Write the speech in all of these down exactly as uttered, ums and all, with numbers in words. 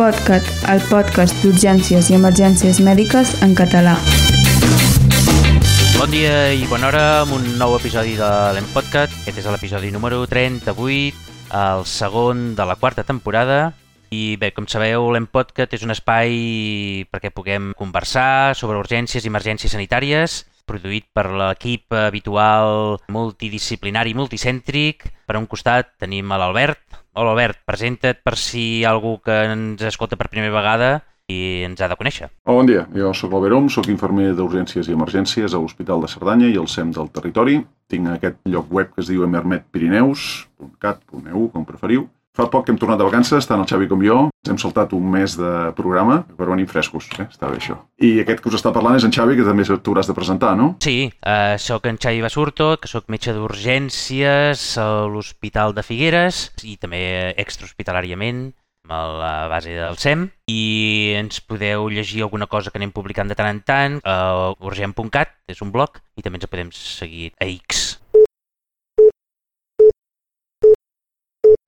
L'EmPodcast, el podcast d'urgències i emergències mèdiques en català. Bon dia i bona hora amb un nou episodi de l'EmPodcast. Aquest és l'episodi número trenta-vuit, el segon de la quarta temporada. I bé, com sabeu, l'EmPodcast és un espai perquè puguem conversar sobre urgències i emergències sanitàries, produït per l'equip habitual multidisciplinari i multicèntric. Per un costat tenim a l'Albert. Hola Albert, presenta't per si hi ha algú que ens escolta per primera vegada i ens ha de conèixer. Hola, bon dia. Jo soc l'Albert Om, soc infermer d'urgències i emergències a l'Hospital de Cerdanya i al S E M del territori. Tinc aquest lloc web que es diu emermed pirineus punt cat punt e u, com preferiu. Fa poc que hem tornat de vacances, tant el Xavi com jo. Ens hem saltat un mes de programa, però venim frescos, eh? Està bé això. I aquest que us està parlant és en Xavi, que també t'hauràs de presentar, no? Sí, uh, soc en Xavi Basurto, que soc metge d'urgències a l'Hospital de Figueres i també extrahospitalàriament a la base del S E M. I ens podeu llegir alguna cosa que anem publicant de tant en tant a urgent punt cat, és un blog, i també ens podem seguir a X.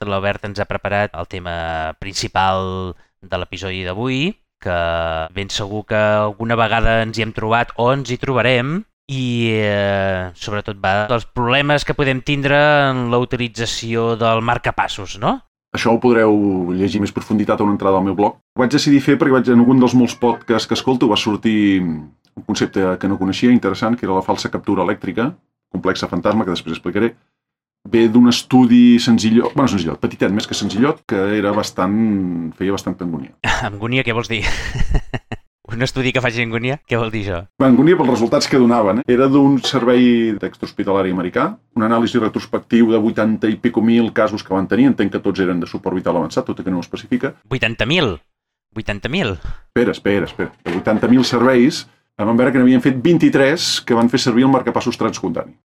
L'Albert ens ha preparat el tema principal de l'episodi d'avui, que ben segur que alguna vegada ens hi hem trobat o ens hi trobarem, i eh, sobretot va dels problemes que podem tindre en la utilització del marcapassos, no? Això ho podreu llegir més profunditat a una entrada al meu blog. Ho vaig decidir fer perquè vaig, en algun dels molts podcasts que escolto va sortir un concepte que no coneixia, interessant, que era la falsa captura elèctrica, complexa fantasma, que després explicaré. Ve d'un estudi senzillot, bueno, senzillot, petitet més que senzillot, que era bastant, feia bastanta angúnia. Angúnia, què vols dir? Un estudi que faci angúnia? Què vol dir això? Angúnia pels resultats que donaven. Eh? Era d'un servei d'extrahospitalari americà, un anàlisi retrospectiu de vuitanta i pico mil casos que van tenir, entenc que tots eren de suport vital avançat, tot i que no ho especifica. vuitanta mil? vuitanta mil? Espera, espera, espera. De vuitanta mil serveis, vam veure que n'havien fet vint-i-tres que van fer servir el marcapassos transcutani.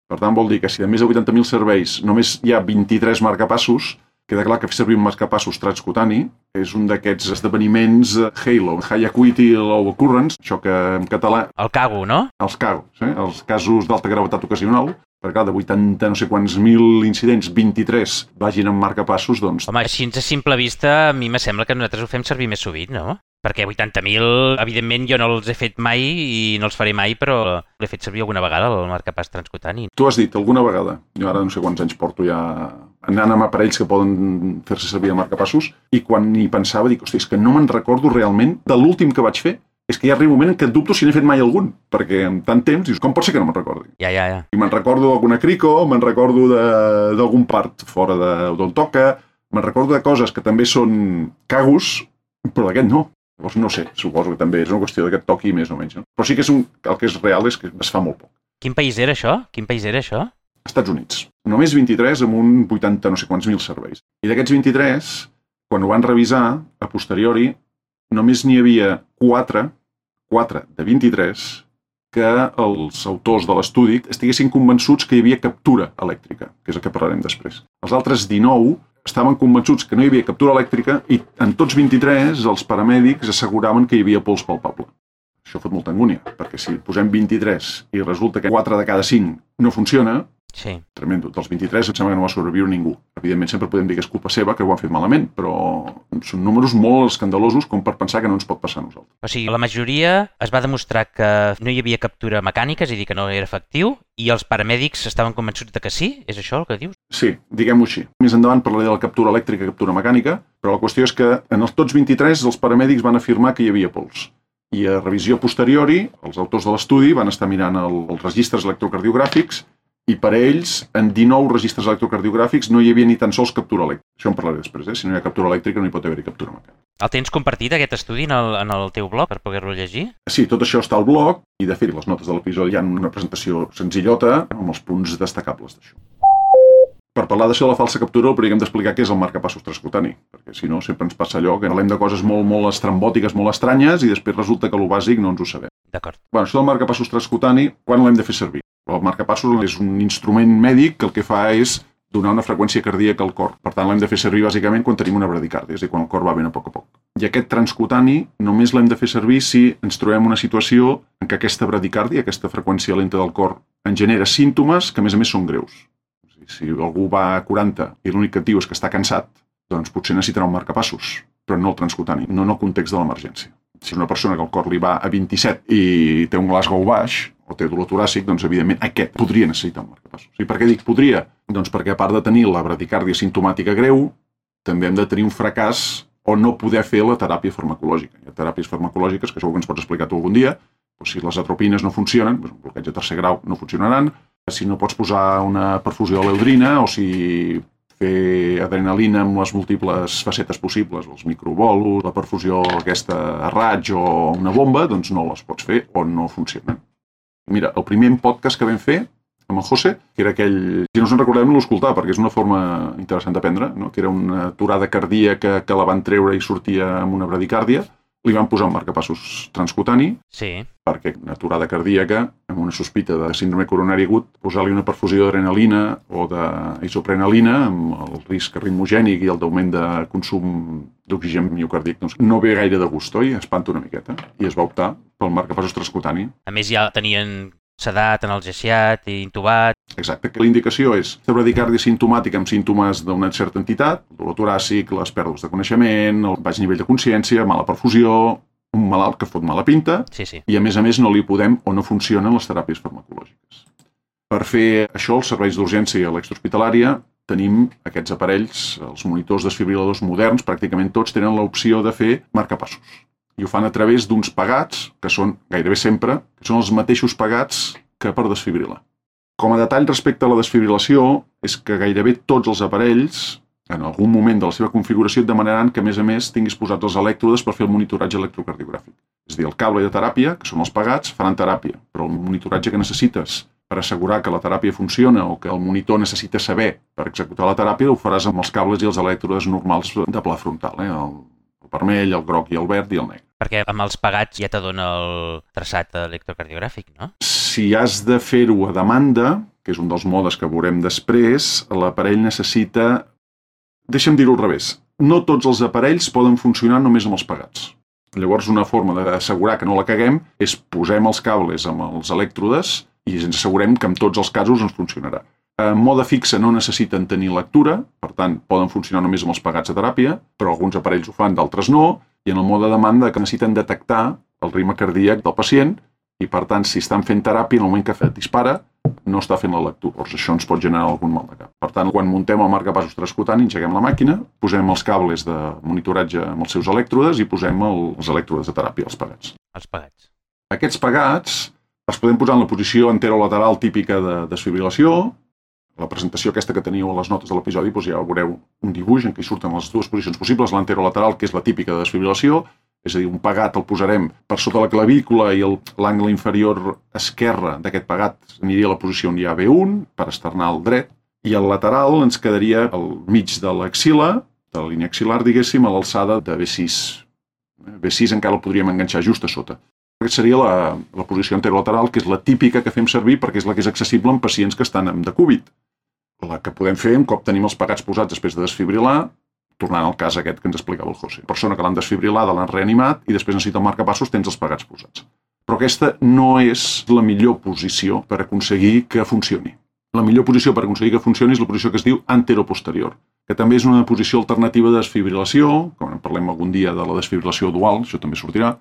Per tant, vol dir que si de més de vuitanta mil serveis només hi ha vint-i-tres marcapassos, queda clar que fer servir un marcapassos transcutani és un d'aquests esdeveniments Halo, High Acuity Low Occurrence, això que en català... El cago, no? Els cagos, eh? Els casos d'alta gravetat ocasional, perquè clar, de vuitanta no sé quants mil incidents, vint-i-tres vagin amb marcapassos, doncs... Home, així a simple vista, a mi me sembla que nosaltres ho fem servir més sovint, no? Perquè vuitanta mil, evidentment, jo no els he fet mai i no els faré mai, però l'he fet servir alguna vegada, el marcapass transcutani. Tu has dit alguna vegada, jo ara no sé quants anys porto ja anant amb aparells que poden fer-se servir de marcapassos, i quan hi pensava dic, hosti, és que no me'n recordo realment de l'últim que vaig fer. És que hi ha un moment en què dubto si n'he fet mai algun, perquè en tant temps dius, com pot ser que no me'n recordi? Ja, ja, ja. I me'n recordo d'alguna crico, me'n recordo d'algun part fora d'on toca, me'n recordo de coses que també són cagos, però d'aquest no. Llavors no sé, suposo que també és una qüestió que et toqui més o menys, no? Però sí que és un, el que és real és que es fa molt poc. Quin país era això? Quin país era això? Estats Units. Només vint-i-tres amb un vuitanta no sé quants mil serveis. I d'aquests vint-i-tres, quan ho van revisar, a posteriori, només n'hi havia quatre, quatre de vint-i-tres, que els autors de l'estudi estiguessin convençuts que hi havia captura elèctrica, que és el que parlarem després. Els altres dinou estaven convençuts que no hi havia captura elèctrica i en tots vint-i-tres els paramèdics asseguraven que hi havia pols palpable. Això fot molta angúnia, perquè si posem vint-i-tres i resulta que quatre de cada cinc no funciona, sí. Tremendo. Dels vint-i-tres em sembla que no va sobreviure ningú. Evidentment sempre podem dir que és culpa seva, que ho han fet malament, però són números molt escandalosos com per pensar que no ens pot passar a nosaltres. O sigui, la majoria es va demostrar que no hi havia captura mecànica, és a dir, que no era efectiu, i els paramèdics estaven convençuts de que sí? És això el que dius? Sí, diguem-ho així. Més endavant parlaré de la captura elèctrica i captura mecànica, però la qüestió és que en els tots vint-i-tres els paramèdics van afirmar que hi havia pols. I a revisió posteriori, els autors de l'estudi van estar mirant el, els registres electrocardiogràfics i per ells, en dinou registres electrocardiogràfics no hi havia ni tan sols captura elèctrica. Això en parlaré després, eh? Si no hi ha captura elèctrica no hi pot haver-hi captura mecànica. El tens compartit, aquest estudi, en el, en el teu blog, per poder-lo llegir? Sí, tot això està al blog, i de fet, les notes de l'episodi hi ha una presentació senzillota amb els punts destacables d'això. Per parlar d'això de la falsa captura, el primer que hem d'explicar què és el marcapassos transcutani, perquè si no sempre ens passa allò que parlem de coses molt, molt estrambòtiques, molt estranyes, i després resulta que el bàsic no ens ho sabem. D'acord. Bueno, això del marcapassos transcutani, quan l'hem de fer servir? El marcapassos és un instrument mèdic que el que fa és donar una freqüència cardíaca al cor. Per tant, l'hem de fer servir bàsicament quan tenim una bradicàrdia, és a dir, quan el cor va ben a poc a poc. I aquest transcutani només l'hem de fer servir si ens trobem una situació en què aquesta bradicàrdia, aquesta freqüència lenta del cor, en genera símptomes que a més a més són greus. Si algú va a quaranta i l'únic que et diu és que està cansat, doncs potser necessitarà un marcapassos. però no el transcutani, no en el context de l'emergència. Si una persona que el cor li va a vint-i-set i té un Glasgow baix, o té dolor toràcic, doncs evidentment aquest podria necessitar un marcapassos. I per què dic podria? Doncs perquè a part de tenir la bradicàrdia simptomàtica greu, també hem de tenir un fracàs o no poder fer la teràpia farmacològica. Hi ha teràpies farmacològiques, que segur que ens pots explicar tu algun dia, doncs si les atropines no funcionen, doncs un bloqueig de tercer grau no funcionaran, si no pots posar una perfusió de l'eudrina o si fer adrenalina amb les múltiples facetes possibles, els microbolos, la perfusió aquesta a raig o una bomba, doncs no les pots fer o no funcionen. Mira, el primer podcast que vam fer amb el José, que era aquell... Si no us en recordem, no l'escoltar, perquè és una forma interessant d'aprendre, no? Que era una aturada cardíaca que la van treure i sortia amb una bradicàrdia. Li van posar un marcapassos transcutani, sí. Perquè una aturada cardíaca, amb una sospita de síndrome coronari agut, posar-li una perfusió d'adrenalina o d'isoprenalina, amb el risc ritmogènic i el d'augment de consum d'oxigen miocardíac, doncs no ve gaire de gust, oi? Espanta una miqueta. I es va optar pel marcapassos transcutani. A més, ja tenien sedat, analgesiat i intubat. Exacte, que la indicació és la bradicàrdia simptomàtica amb símptomes d'una certa entitat, el dolor toràcic, les pèrdues de coneixement, el baix nivell de consciència, mala perfusió, un malalt que fot mala pinta, sí, sí. I a més a més no li podem o no funcionen les teràpies farmacològiques. Per fer això, els serveis d'urgència a l'extrahospitalària, tenim aquests aparells, els monitors desfibriladors moderns, pràcticament tots tenen l'opció de fer marcapassos. I ho fan a través d'uns pagats, que són gairebé sempre, que són els mateixos pagats que per desfibrilar. Com a detall respecte a la desfibrilació, és que gairebé tots els aparells, en algun moment de la seva configuració, et demanaran que, a més a més, tinguis posats els elèctrodes per fer el monitoratge electrocardiogràfic. És a dir, el cable de teràpia, que són els pagats, faran teràpia, però el monitoratge que necessites per assegurar que la teràpia funciona o que el monitor necessita saber per executar la teràpia, ho faràs amb els cables i els elèctrodes normals de pla frontal, eh? el, el vermell, el groc i el verd i el negre. Perquè amb els pagats ja t'adona el traçat electrocardiogràfic, no? Si has de fer-ho a demanda, que és un dels modes que veurem després, l'aparell necessita... Deixa'm dir-ho al revés. No tots els aparells poden funcionar només amb els pagats. Llavors, una forma d'assegurar que no la caguem és posem els cables amb els elèctrodes i ens assegurem que en tots els casos ens funcionarà. En mode fixa no necessiten tenir lectura, per tant, poden funcionar només amb els pagats de teràpia, però alguns aparells ho fan, d'altres no, i en el mode demanda que necessiten detectar el ritme cardíac del pacient i, per tant, si estan fent teràpia, en el moment que dispara, no està fent la lectura. Llavors, això ens pot generar algun mal de cap. Per tant, quan muntem el marcapassos transcutani, engeguem la màquina, posem els cables de monitoratge amb els seus elèctrodes i posem els elèctrodes de teràpia, els pagats. Els pagats. Aquests pagats els podem posar en la posició anterolateral típica de desfibrilació. La presentació aquesta que teníeu a les notes de l'episodi, doncs ja veureu un dibuix en què hi surten les dues posicions possibles, l'anterolateral, que és la típica de desfibrilació, és a dir, un pagat el posarem per sota la clavícula i l'angle inferior esquerre d'aquest pagat aniria a la posició on hi ha V un, per esternal dret, i el lateral ens quedaria al mig de l'axil·la, de la línia axil·lar, diguéssim, a l'alçada de V sis. V sis encara el podríem enganxar just a sota. Aquesta seria la, la posició anterolateral, que és la típica que fem servir perquè és la que és accessible en pacients que estan amb decúbit. La que podem fer un cop tenim els pagats posats després de desfibrilar, tornant al cas aquest que ens explicava el José. Persona que l'han desfibrilada, l'han reanimat i després necessita el marcapassos, tens els pagats posats. Però aquesta no és la millor posició per aconseguir que funcioni. La millor posició per aconseguir que funcioni és la posició que es diu anteroposterior, que també és una posició alternativa de desfibrilació, quan en parlem algun dia de la desfibrilació dual, això també sortirà.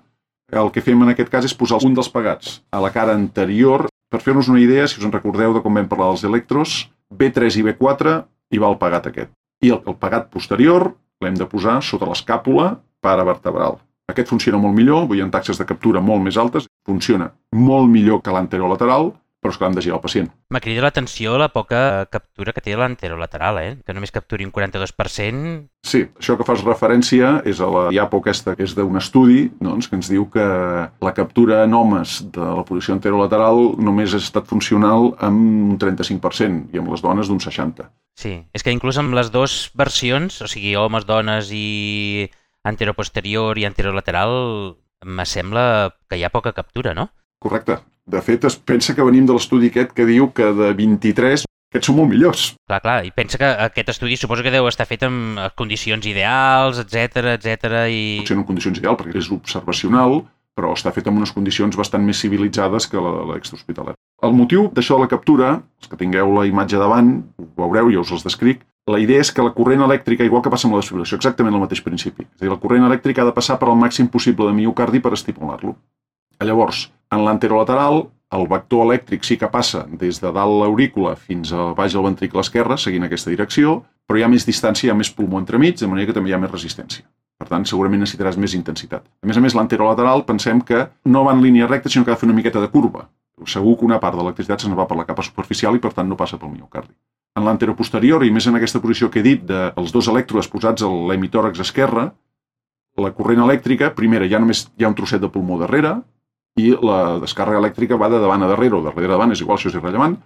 El que fem en aquest cas és posar un dels pagats a la cara anterior. Per fer-nos una idea, si us en recordeu de com vam parlar dels electros, V tres i V quatre hi va el pagat aquest. I el, el pagat posterior l'hem de posar sota l'escàpula paravertebral. Aquest funciona molt millor, vull dir, en taxes de captura molt més altes, funciona molt millor que l'anterolateral, però és que l'hem de girar al pacient. M'ha cridat l'atenció la poca captura que té l'anterolateral, eh? Que només capturi un quaranta-dos per cent. Sí, això que fas referència és a la I A P O aquesta, que és d'un estudi, doncs, que ens diu que la captura en homes de la posició anterolateral només ha estat funcional amb un trenta-cinc per cent i amb les dones d'un seixanta per cent. Sí, és que inclús amb les dues versions, o sigui, homes, dones i anteroposterior i anterolateral, me sembla que hi ha poca captura, no? Correcte. De fet, es pensa que venim de l'estudi aquest que diu que de vint-i-tres aquests són molt millors. Clar, clar, i pensa que aquest estudi suposo que deu estar fet en condicions ideals, etcètera, etcètera, i... Potser no en condicions ideals, perquè és observacional, però està fet en unes condicions bastant més civilitzades que l'extrahospitalària. El motiu d'això de la captura, els que tingueu la imatge davant, ho veureu, ja us els descric, La idea és que la corrent elèctrica, igual que passa amb la desfibrilació, exactament el mateix principi. És a dir, la corrent elèctrica ha de passar per al màxim possible de miocardi per estimular-lo. Llavors, en l'anterolateral, el vector elèctric sí que passa des de dalt l'aurícula fins a baix al ventricle esquerre, seguint aquesta direcció, però hi ha més distància, hi ha més pulmó entremig, de manera que també hi ha més resistència. Per tant, segurament necessitaràs més intensitat. A més a més, l'anterolateral pensem que no va en línia recta, sinó que ha de fer una miqueta de curva. Segur que una part de l'electricitat se'n va per la capa superficial i, per tant, no passa pel miocardi. En l'anteroposterior, i més en aquesta posició que he dit, dels dos elèctrodes posats a l'hemitòrax esquerre, la corrent elèctrica, primera, ja només hi ha un trosset de pulmó darrere, i la descàrrega elèctrica va de davant a darrere, o darrere a davant, és igual, això és irrellevant,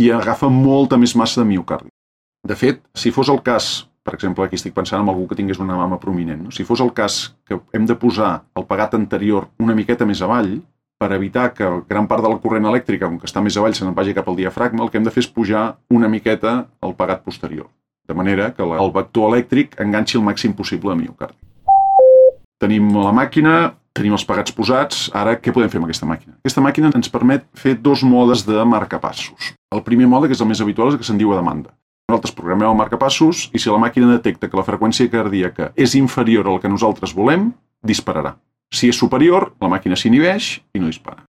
i agafa molta més massa de miocardi. De fet, si fos el cas, per exemple, aquí estic pensant en algú que tingués una mama prominent, no? Si fos el cas que hem de posar el pegat anterior una miqueta més avall, per evitar que gran part de la corrent elèctrica, com que està més avall, se n'en vagi cap al diafragma, el que hem de fer és pujar una miqueta el pegat posterior, de manera que el vector elèctric enganxi el màxim possible de miocardi. Tenim la màquina, tenim els pegats posats, ara què podem fer amb aquesta màquina? Aquesta màquina ens permet fer dos modes de marcapassos. El primer mode, que és el més habitual, és el que se'n diu a demanda. Nosaltres programem el marcapassos i si la màquina detecta que la freqüència cardíaca és inferior al que nosaltres volem, dispararà. Si és superior, la màquina s'inhibeix i no dispara.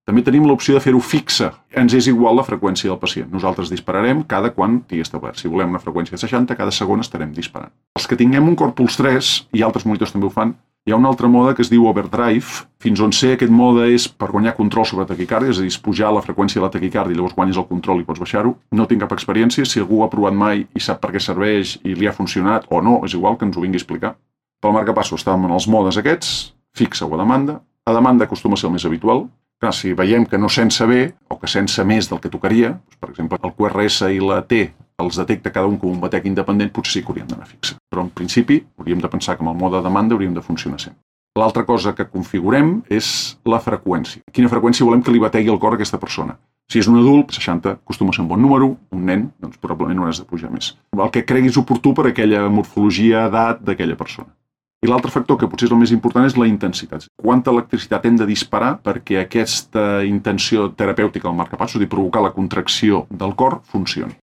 També tenim l'opció de fer-ho fixa. Ens és igual la freqüència del pacient. Nosaltres dispararem cada quan tingui establert. Si volem una freqüència de seixanta, cada segon estarem disparant. Els que tinguem un Corpuls tres, i altres monitors també ho fan, hi ha un altre mode que es diu overdrive. Fins on sé, aquest mode és per guanyar control sobre taquicàrdia, és a dir, pujar la freqüència de la taquicàrdia i llavors guanyes el control i pots baixar-ho. No tinc cap experiència. Si algú ho ha provat mai i sap per què serveix i li ha funcionat o no, és igual que ens ho vingui a explicar. Pel marcapassos estàvem en els modes aquests, fixa o a demanda. A demanda acostuma a ser el més habitual. Clar, si veiem que no sense bé, o que sense més del que tocaria, doncs, per exemple, el Q R S i la T els detecta cada un com un batec independent, potser sí que hauríem d'anar fixa. Però en principi hauríem de pensar que amb el mode de demanda hauríem de funcionar sempre. L'altra cosa que configurem és la freqüència. Quina freqüència volem que li bategui el cor a aquesta persona? Si és un adult, seixanta acostuma a ser un bon número, un nen, doncs probablement no has de pujar més. El que creguis oportú per aquella morfologia, edat d'aquella persona. I l'altre factor, que potser és el més important, és la intensitat. Quanta electricitat hem de disparar perquè aquesta intenció terapèutica del marcapassos, és a dir, provocar la contracció del cor, funcioni.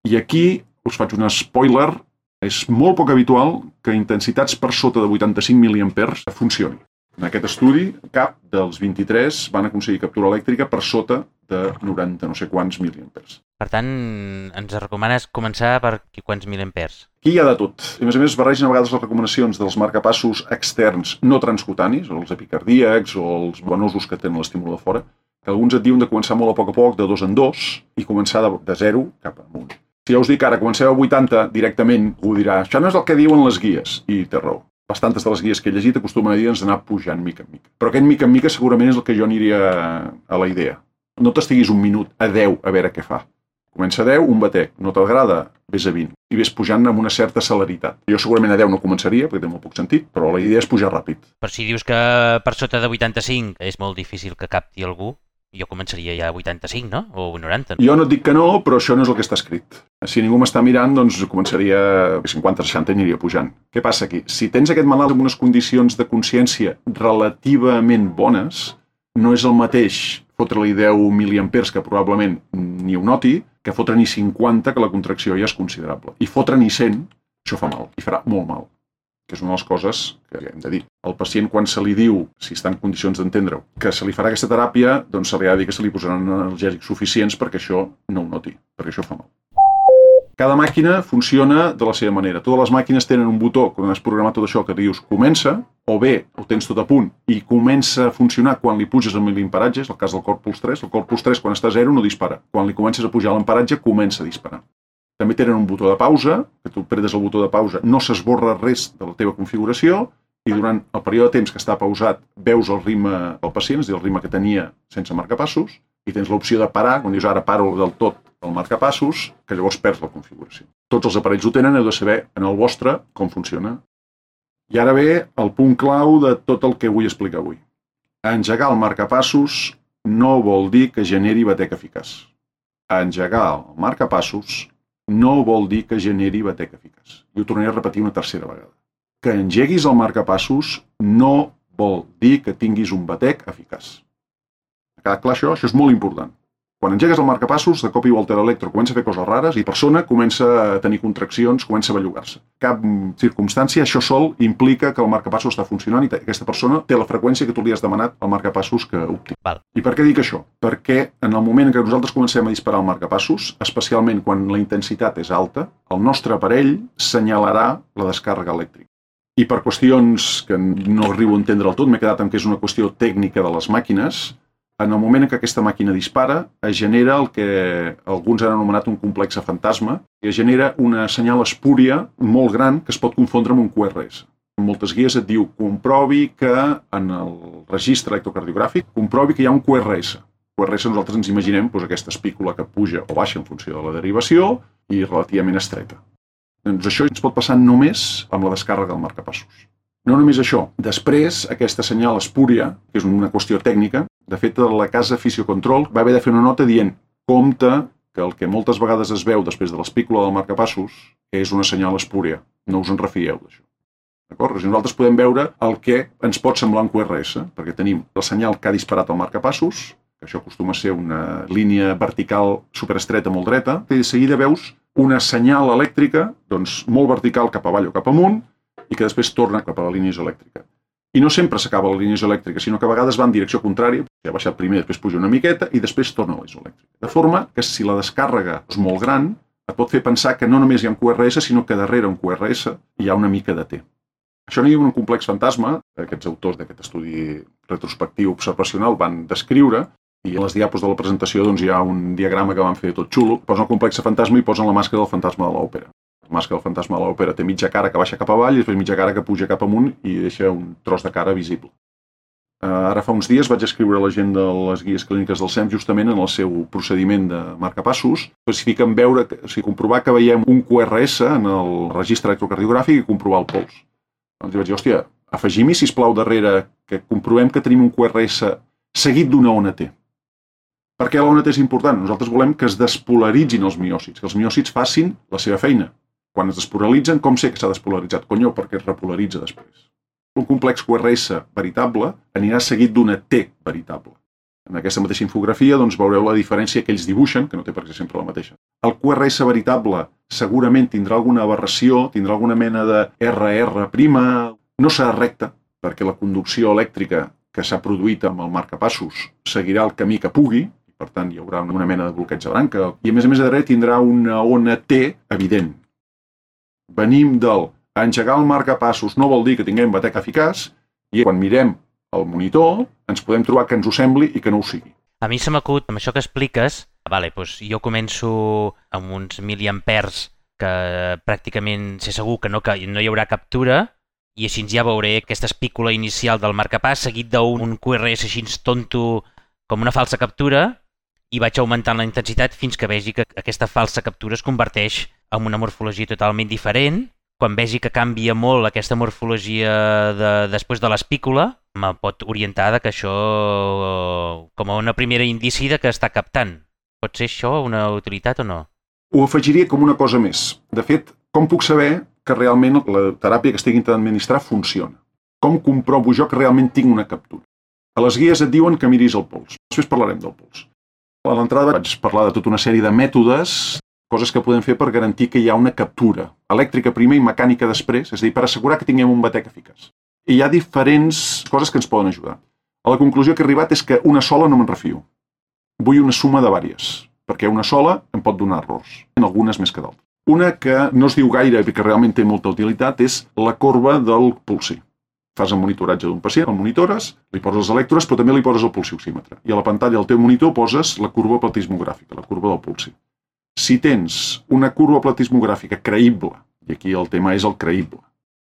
I aquí us faig un spoiler, és molt poc habitual que intensitats per sota de vuitanta-cinc miliampers funcioni. En aquest estudi, cap dels vint-i-tres van aconseguir captura elèctrica per sota de noranta no sé quants miliampers. Per tant, ens recomanes començar per quants miliampers? Aquí hi ha de tot. I a més a més, barregen a vegades les recomanacions dels marcapassos externs no transcutanis, o els epicardíacs, o els venosos que tenen l'estímul de fora, que alguns et diuen de començar molt a poc a poc, de dos en dos, i començar de, de zero cap amunt. Si ja us dic ara, comenceu a vuitanta directament, ho dirà, això no és el que diuen les guies, i té raó. Bastantes de les guies que he llegit acostumen a dir-nos d'anar pujant mica en mica. Però aquest mica en mica segurament és el que jo aniria a la idea. No t'estiguis un minut a deu a veure què fa. Comença a deu, un batec. No t'agrada, vés a vint. I vés pujant amb una certa celeritat. Jo segurament a deu no començaria, perquè té molt poc sentit, però la idea és pujar ràpid. Per si dius que per sota de vuitanta-cinc és molt difícil que capti algú, jo començaria ja a vuitanta-cinc, no? O noranta. Jo no et dic que no, però això no és el que està escrit. Si ningú m'està mirant, doncs començaria a cinquanta seixanta i aniria pujant. Què passa aquí? Si tens aquest malalt amb unes condicions de consciència relativament bones, no és el mateix fotre-li deu miliampers, que probablement ni ho noti, que fotre-n'hi cinquanta, que la contracció ja és considerable. I fotre-n'hi cent, això fa mal, i farà molt mal. Que és una de les coses que hem de dir. El pacient, quan se li diu, si està en condicions d'entendre-ho, que se li farà aquesta teràpia, doncs se li ha de dir que se li posaran analgèsics suficients perquè això no ho noti, perquè això fa mal. Cada màquina funciona de la seva manera. Totes les màquines tenen un botó, quan has programat tot això, que dius comença, o bé ho tens tot a punt i comença a funcionar quan li puges amb l'emparatge, és el cas del Corpuls tres. El Corpuls tres, quan està a zero, no dispara. Quan li comences a pujar l'emparatge, comença a disparar. També tenen un botó de pausa, que tu predes el botó de pausa, no s'esborra res de la teva configuració i durant el període de temps que està pausat veus el ritme del pacient, és a dir, el ritme que tenia sense marcapassos, i tens l'opció de parar, quan dius ara paro del tot el marcapassos, que llavors perds la configuració. Tots els aparells ho tenen, heu de saber en el vostre com funciona. I ara ve el punt clau de tot el que vull explicar avui. Engegar el marcapassos no vol dir que generi batec eficaç. Engegar el marcapassos no vol dir que generi batec eficaç. I ho tornaré a repetir una tercera vegada. Que engeguis el marcapassos no vol dir que tinguis un batec eficaç. Ha quedat clar això? Això és molt important. Quan engegues el marcapassos, de cop i volta l'electro comença a fer coses rares i la persona comença a tenir contraccions, comença a bellugar-se. Cap circumstància, això sol implica que el marcapassos està funcionant i aquesta persona té la freqüència que tu li has demanat al marcapassos que opti. Val. I per què dic això? Perquè en el moment en què nosaltres comencem a disparar el marcapassos, especialment quan la intensitat és alta, el nostre aparell senyalarà la descàrrega elèctrica. I per qüestions que no arribo a entendre del tot, m'he quedat amb que és una qüestió tècnica de les màquines. En el moment en què aquesta màquina dispara, es genera el que alguns han anomenat un complex fantasma, i es genera una senyal espúria molt gran que es pot confondre amb un Q R S. En moltes guies et diu, comprovi que en el registre electrocardiogràfic, comprovi que hi ha un Q R S. Q R S nosaltres ens imaginem doncs, aquesta espícula que puja o baixa en funció de la derivació i relativament estreta. Doncs això ens pot passar només amb la descàrrega del marcapassos. No només això, després aquesta senyal espúria, que és una qüestió tècnica, de fet la casa Fisiocontrol va haver de fer una nota dient compte que el que moltes vegades es veu després de l'espícula del marcapassos és una senyal espúria, no us en refieu d'això. D'acord? Nosaltres podem veure el que ens pot semblar un Q R S, perquè tenim el senyal que ha disparat el marcapassos, que això acostuma a ser una línia vertical superestreta molt dreta, i de seguida veus una senyal elèctrica doncs, molt vertical cap avall o cap amunt i que després torna cap a la línia isoelèctrica. I no sempre s'acaba la línia isoelèctrica, sinó que a vegades va en direcció contrària, ha baixat primer, després puja una miqueta i després torna a la isoelèctrica. De forma que si la descàrrega és molt gran, et pot fer pensar que no només hi ha un Q R S, sinó que darrere un Q R S hi ha una mica de T. Això n'hi ha un complex fantasma, aquests autors d'aquest estudi retrospectiu observacional van descriure, i a les diapos de la presentació doncs, hi ha un diagrama que van fer tot xulo, posen el complex fantasma i posen la màscara del fantasma de l'òpera. La màscara del fantasma de l'òpera té mitja cara que baixa cap avall i després mitja cara que puja cap amunt i deixa un tros de cara visible. Ara fa uns dies vaig escriure a la gent de les guies clíniques del S E M justament en el seu procediment de marcapassos, especifiquen veure, o sigui, comprovar que veiem un Q R S en el registre electrocardiogràfic i comprovar el pols. Doncs vaig dir, hòstia, afegim-hi, sisplau, darrere que comprovem que tenim un Q R S seguit d'una ona T. Per què la ona T és important? Nosaltres volem que es despolaritzin els miòcits, que els miòcits facin la seva feina. Quan es despolaritzen, com sé que s'ha despolaritzat? Conyo, perquè es repolaritza després. Un complex Q R S veritable anirà seguit d'una T veritable. En aquesta mateixa infografia doncs, veureu la diferència que ells dibuixen, que no té per què sempre la mateixa. El Q R S veritable segurament tindrà alguna aberració, tindrà alguna mena de R R', no serà recte, perquè la conducció elèctrica que s'ha produït amb el marcapassos seguirà el camí que pugui, i per tant hi haurà una mena de bloqueig de branca, i a més a més a darrere tindrà una ona T evident. Venim del engegar el marcapassos no vol dir que tinguem batec eficaç i quan mirem el monitor ens podem trobar que ens ho sembli i que no ho sigui. A mi se m'acut, amb això que expliques, vale, doncs jo començo amb uns miliampers que pràcticament sé segur que no, que no hi haurà captura i així ja veuré aquesta espícula inicial del marcapàs seguit d'un Q R S així tonto com una falsa captura i vaig augmentant la intensitat fins que vegi que aquesta falsa captura es converteix en una morfologia totalment diferent. Quan vegi que canvia molt aquesta morfologia de, després de l'espícula, me pot orientar de que això com a una primera indici de que està captant. Pot ser això una utilitat o no? Ho afegiria com una cosa més. De fet, com puc saber que realment la teràpia que estic intentant administrar funciona? Com comprovo jo que realment tinc una captura? A les guies et diuen que miris el pols. Després parlarem del pols. A l'entrada vaig parlar de tota una sèrie de mètodes, coses que podem fer per garantir que hi ha una captura elèctrica primer i mecànica després, és a dir, per assegurar que tinguem un batec eficaç. I hi ha diferents coses que ens poden ajudar. A la conclusió que he arribat és que una sola no me'n refio. Vull una suma de vàries, perquè una sola em pot donar errors, en algunes més que d'altres. Una que no es diu gaire i que realment té molta utilitat és la corba del pulsi. Fas el monitoratge d'un pacient, el monitores, li poses els elèctrodes, però també li poses el pulsioxímetre. I a la pantalla del teu monitor poses la curva platismogràfica, la curva del pulsi. Si tens una curva platismogràfica creïble, i aquí el tema és el creïble,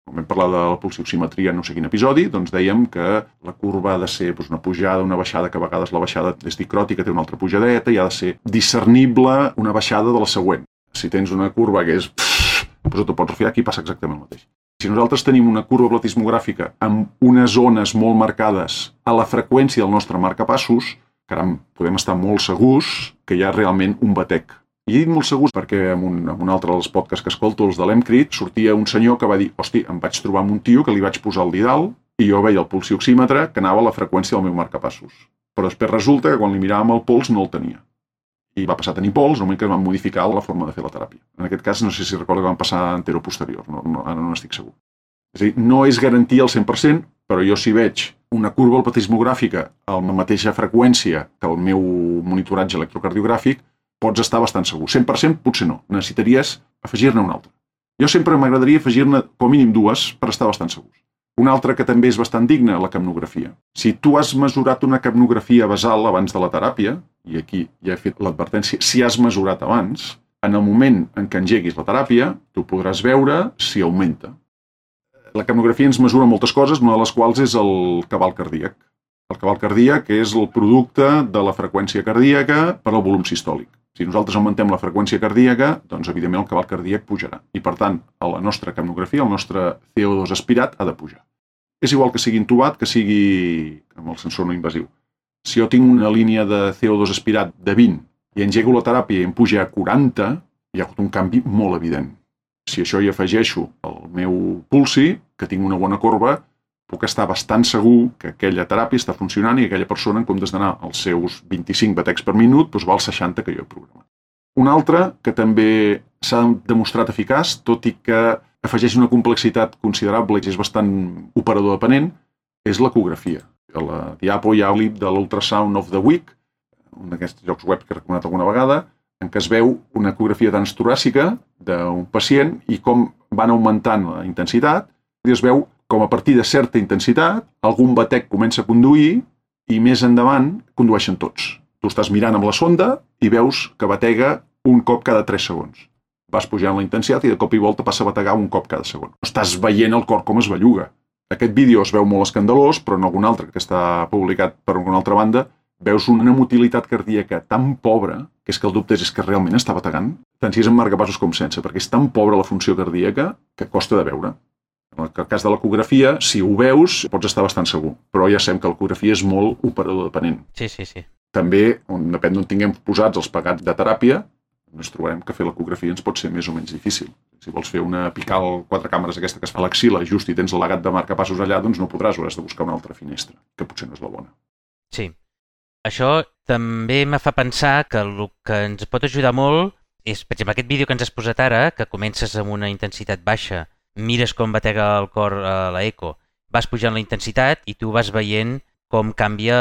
com vam parlar de la pulsioximetria en no sé quin episodi, doncs dèiem que la curva ha de ser doncs, una pujada, una baixada, que a vegades la baixada és dicròtica, té una altra pujadeta, i ha de ser discernible una baixada de la següent. Si tens una curva que és... doncs t'ho pots refiar, aquí passa exactament el mateix. Si nosaltres tenim una curva platismogràfica amb unes zones molt marcades a la freqüència del nostre marcapassos, caram, podem estar molt segurs que hi ha realment un batec. I he dit molt segurs perquè en un, en un altre dels podcasts que escolto, els de l'Emcrit, sortia un senyor que va dir, hosti, em vaig trobar amb un tio que li vaig posar el didal i jo veia el pulsioxímetre que anava a la freqüència del meu marcapassos. Però després resulta que quan li miràvem el pols no el tenia. i va passar a tenir pols, en el moment que van modificar la forma de fer la teràpia. En aquest cas, no sé si recorda que van passar a anteroposterior, no, no, ara no estic segur. És a dir, no és garantia al cent per cent, però jo si veig una curva alpatismogràfica a la mateixa freqüència que el meu monitoratge electrocardiogràfic, pots estar bastant segur. cent per cent potser no, necessitaries afegir-ne una altra. Jo sempre m'agradaria afegir-ne com a mínim dues per estar bastant segurs. Una altra que també és bastant digna, la capnografia. Si tu has mesurat una capnografia basal abans de la teràpia, i aquí ja he fet l'advertència, si has mesurat abans, en el moment en què engeguis la teràpia, tu podràs veure si augmenta. La capnografia ens mesura moltes coses, una de les quals és el cabal cardíac. El cabal cardíac és el producte de la freqüència cardíaca per al volum sistòlic. Si nosaltres augmentem la freqüència cardíaca, doncs evidentment el cabal cardíac pujarà. I per tant, a la nostra capnografia, el nostre C O dos aspirat ha de pujar. És igual que sigui intubat, que sigui amb el sensor no invasiu. Si jo tinc una línia de C O dos aspirat de vint i engego la teràpia i em puja a quaranta, hi ha hagut un canvi molt evident. Si això hi afegeixo al meu pulsi, que tinc una bona corba, puc estar bastant segur que aquella teràpia està funcionant i aquella persona, en comptes d'anar als seus vint-i-cinc batecs per minut, doncs va als seixanta que jo he programat. Una altra que també s'ha demostrat eficaç, tot i que afegeix una complexitat considerable i és bastant operador dependent, és l'ecografia. A la diapo hi ha el clip de l'Ultrasound of the Week, un d'aquests llocs web que he recomanat alguna vegada, en què es veu una ecografia transtoràcica d'un pacient i com van augmentant la intensitat, i es veu com a partir de certa intensitat algun batec comença a conduir i més endavant condueixen tots. Tu estàs mirant amb la sonda i veus que batega un cop cada tres segons. Vas pujant la intensitat i de cop i volta passa a bategar un cop cada segon. Estàs veient el cor com es belluga. Aquest vídeo es veu molt escandalós, però en algun altre que està publicat per alguna altra banda, veus una motilitat cardíaca tan pobra que és que el dubte és que realment està bategant, tant si és en marcapassos com sense, perquè és tan pobra la funció cardíaca que costa de veure. En el cas de l'ecografia, si ho veus, pots estar bastant segur, però ja sabem que l'ecografia és molt operador dependent. Sí, sí, sí. També, on, depèn d'on tinguem posats els pegats de teràpia, ens trobarem que fer l'ecografia ens pot ser més o menys difícil. Si vols fer una apical quatre càmeres aquesta que es fa a l'axil·la just i tens el legat de marcapassos allà, doncs no podràs, hauràs de buscar una altra finestra, que potser no és la bona. Sí. Això també me fa pensar que el que ens pot ajudar molt és, per exemple, aquest vídeo que ens has posat ara, que comences amb una intensitat baixa, mires com batega el cor a l'eco, vas pujant la intensitat i tu vas veient com canvia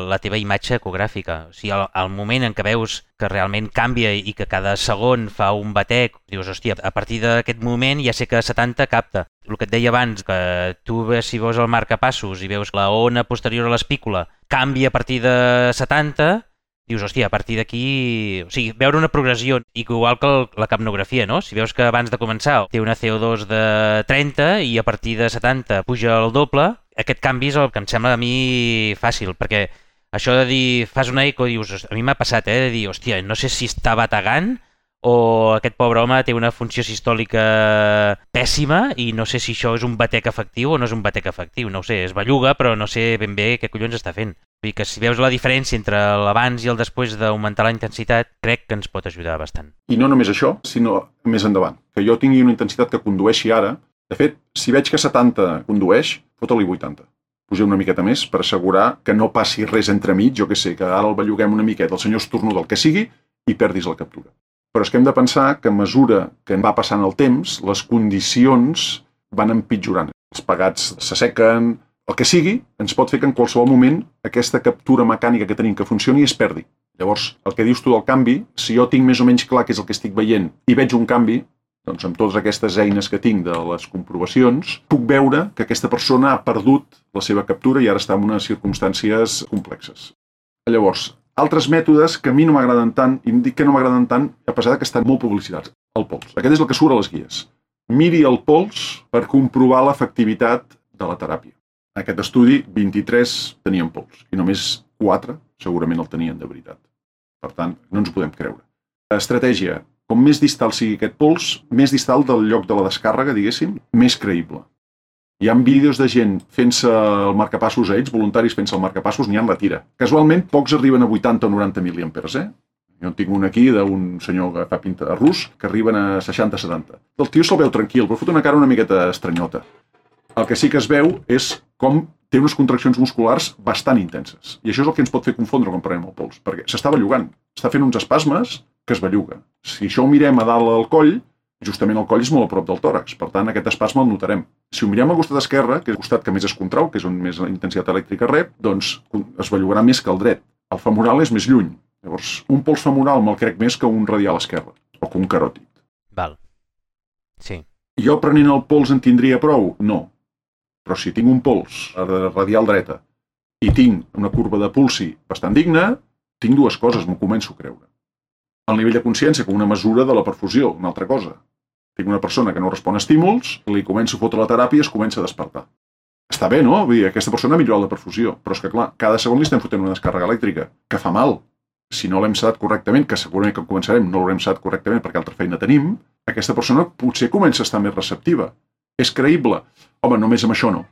la teva imatge ecogràfica. O sigui, al, al moment en què veus que realment canvia i que cada segon fa un batec, dius, hòstia, a partir d'aquest moment ja sé que setanta capta. El que et deia abans, que tu si veus el marcapassos i veus la ona posterior a l'espícula canvia a partir de setanta, dius, hòstia, a partir d'aquí... O sigui, veure una progressió, igual que la capnografia, no? Si veus que abans de començar té una C O dos de trenta i a partir de setanta puja el doble, aquest canvi és el que em sembla a mi fàcil, perquè això de dir, fas una eco, dius, a mi m'ha passat, eh, de dir, hòstia, no sé si està bategant o aquest pobre home té una funció sistòlica pèssima i no sé si això és un batec efectiu o no és un batec efectiu, no ho sé, es belluga, però no sé ben bé què collons està fent. Vull dir que si veus la diferència entre l'abans i el després d'augmentar la intensitat, crec que ens pot ajudar bastant. I no només això, sinó més endavant. Que jo tingui una intensitat que condueixi ara. De fet, si veig que setanta condueix, fota-li vuitanta. Puja una miqueta més per assegurar que no passi res entremig, jo que sé, que ara el belluguem una miqueta, el senyor estornuda, el que sigui, i perdis la captura. Però és que hem de pensar que a mesura que va passant el temps, les condicions van empitjorant. Els pegats s'assequen, el que sigui, ens pot fer que en qualsevol moment aquesta captura mecànica que tenim que funcioni es perdi. Llavors, el que dius tu del canvi, si jo tinc més o menys clar què és el que estic veient i veig un canvi, doncs amb totes aquestes eines que tinc de les comprovacions, puc veure que aquesta persona ha perdut la seva captura i ara està en unes circumstàncies complexes. Llavors, altres mètodes que a mi no m'agraden tant, i dic que no m'agraden tant, a pesar que estan molt publicitats. El pols. Aquest és el que surt a les guies. Miri el pols per comprovar l'efectivitat de la teràpia. En aquest estudi, vint-i-tres tenien pols i només quatre segurament el tenien de veritat. Per tant, no ens ho podem creure. Estratègia. Com més distal sigui aquest pols, més distal del lloc de la descàrrega, diguéssim, més creïble. Hi ha vídeos de gent fent-se el marcapassos a ells, voluntaris fent-se el marcapassos, n'hi ha en la tira. Casualment, pocs arriben a vuitanta o noranta miliamperes, eh? Jo en tinc un aquí d'un senyor que fa pinta rus que arriben a seixanta a setanta. El tio se'l veu tranquil, però fot una cara una miqueta estranyota. El que sí que es veu és com té unes contraccions musculars bastant intenses. I això és el que ens pot fer confondre quan prenem el pols, perquè s'està bellugant. està fent uns espasmes que es belluga. Si això ho mirem a dalt al coll, justament el coll és molt a prop del tòrax, per tant aquest espasme el notarem. Si ho mirem al costat esquerre, que és el costat que més es contrau, que és on més intensitat elèctrica rep, doncs es bellugarà més que el dret. El femoral és més lluny. Llavors, un pols femoral me'l crec més que un radial esquerre, o que un caròtid. Val. Sí. Jo prenent el pols en tindria prou? No. Però si tinc un pols radial dreta i tinc una curva de pulsi bastant digna, tinc dues coses, m'ho començo a creure. El nivell de consciència com una mesura de la perfusió, una altra cosa. Tinc una persona que no respon a estímuls, li començo a fotre la teràpia i es comença a despertar. Està bé, no? Vull dir, aquesta persona ha millorat la perfusió, però és que, clar, cada segon li estem fotent una descàrrega elèctrica, que fa mal. Si no l'hem sedat correctament, que segurament que començarem no l'haurem sedat correctament perquè altra feina tenim, aquesta persona potser comença a estar més receptiva. És creïble? Home, només amb això no.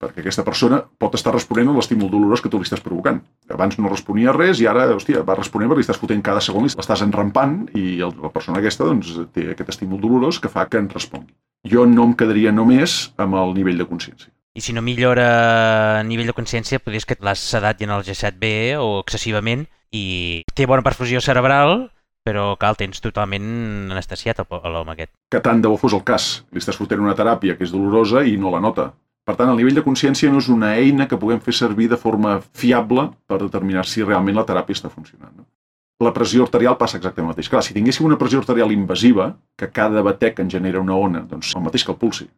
Perquè aquesta persona pot estar responent a l'estímul dolorós que tu li estàs provocant. Abans no responia res i ara, hòstia, va responent perquè li estàs fotent cada segon, l'estàs enrampant i la persona aquesta doncs, té aquest estímul dolorós que fa que en respongui. Jo no em quedaria només amb el nivell de consciència. I si no millora a nivell de consciència, podries que l'has sedat i en el G set B o excessivament i té bona perfusió cerebral, però que el tens totalment anestesiat, l'home aquest. Que tant de bo fos el cas. Li estàs fotent una teràpia que és dolorosa i no la nota. Per tant, el nivell de consciència no és una eina que puguem fer servir de forma fiable per determinar si realment la teràpia està funcionant. No? La pressió arterial passa exactament el mateix. Clar, si tinguéssim una pressió arterial invasiva, que cada batec en genera una ona, doncs el mateix que el pulsi.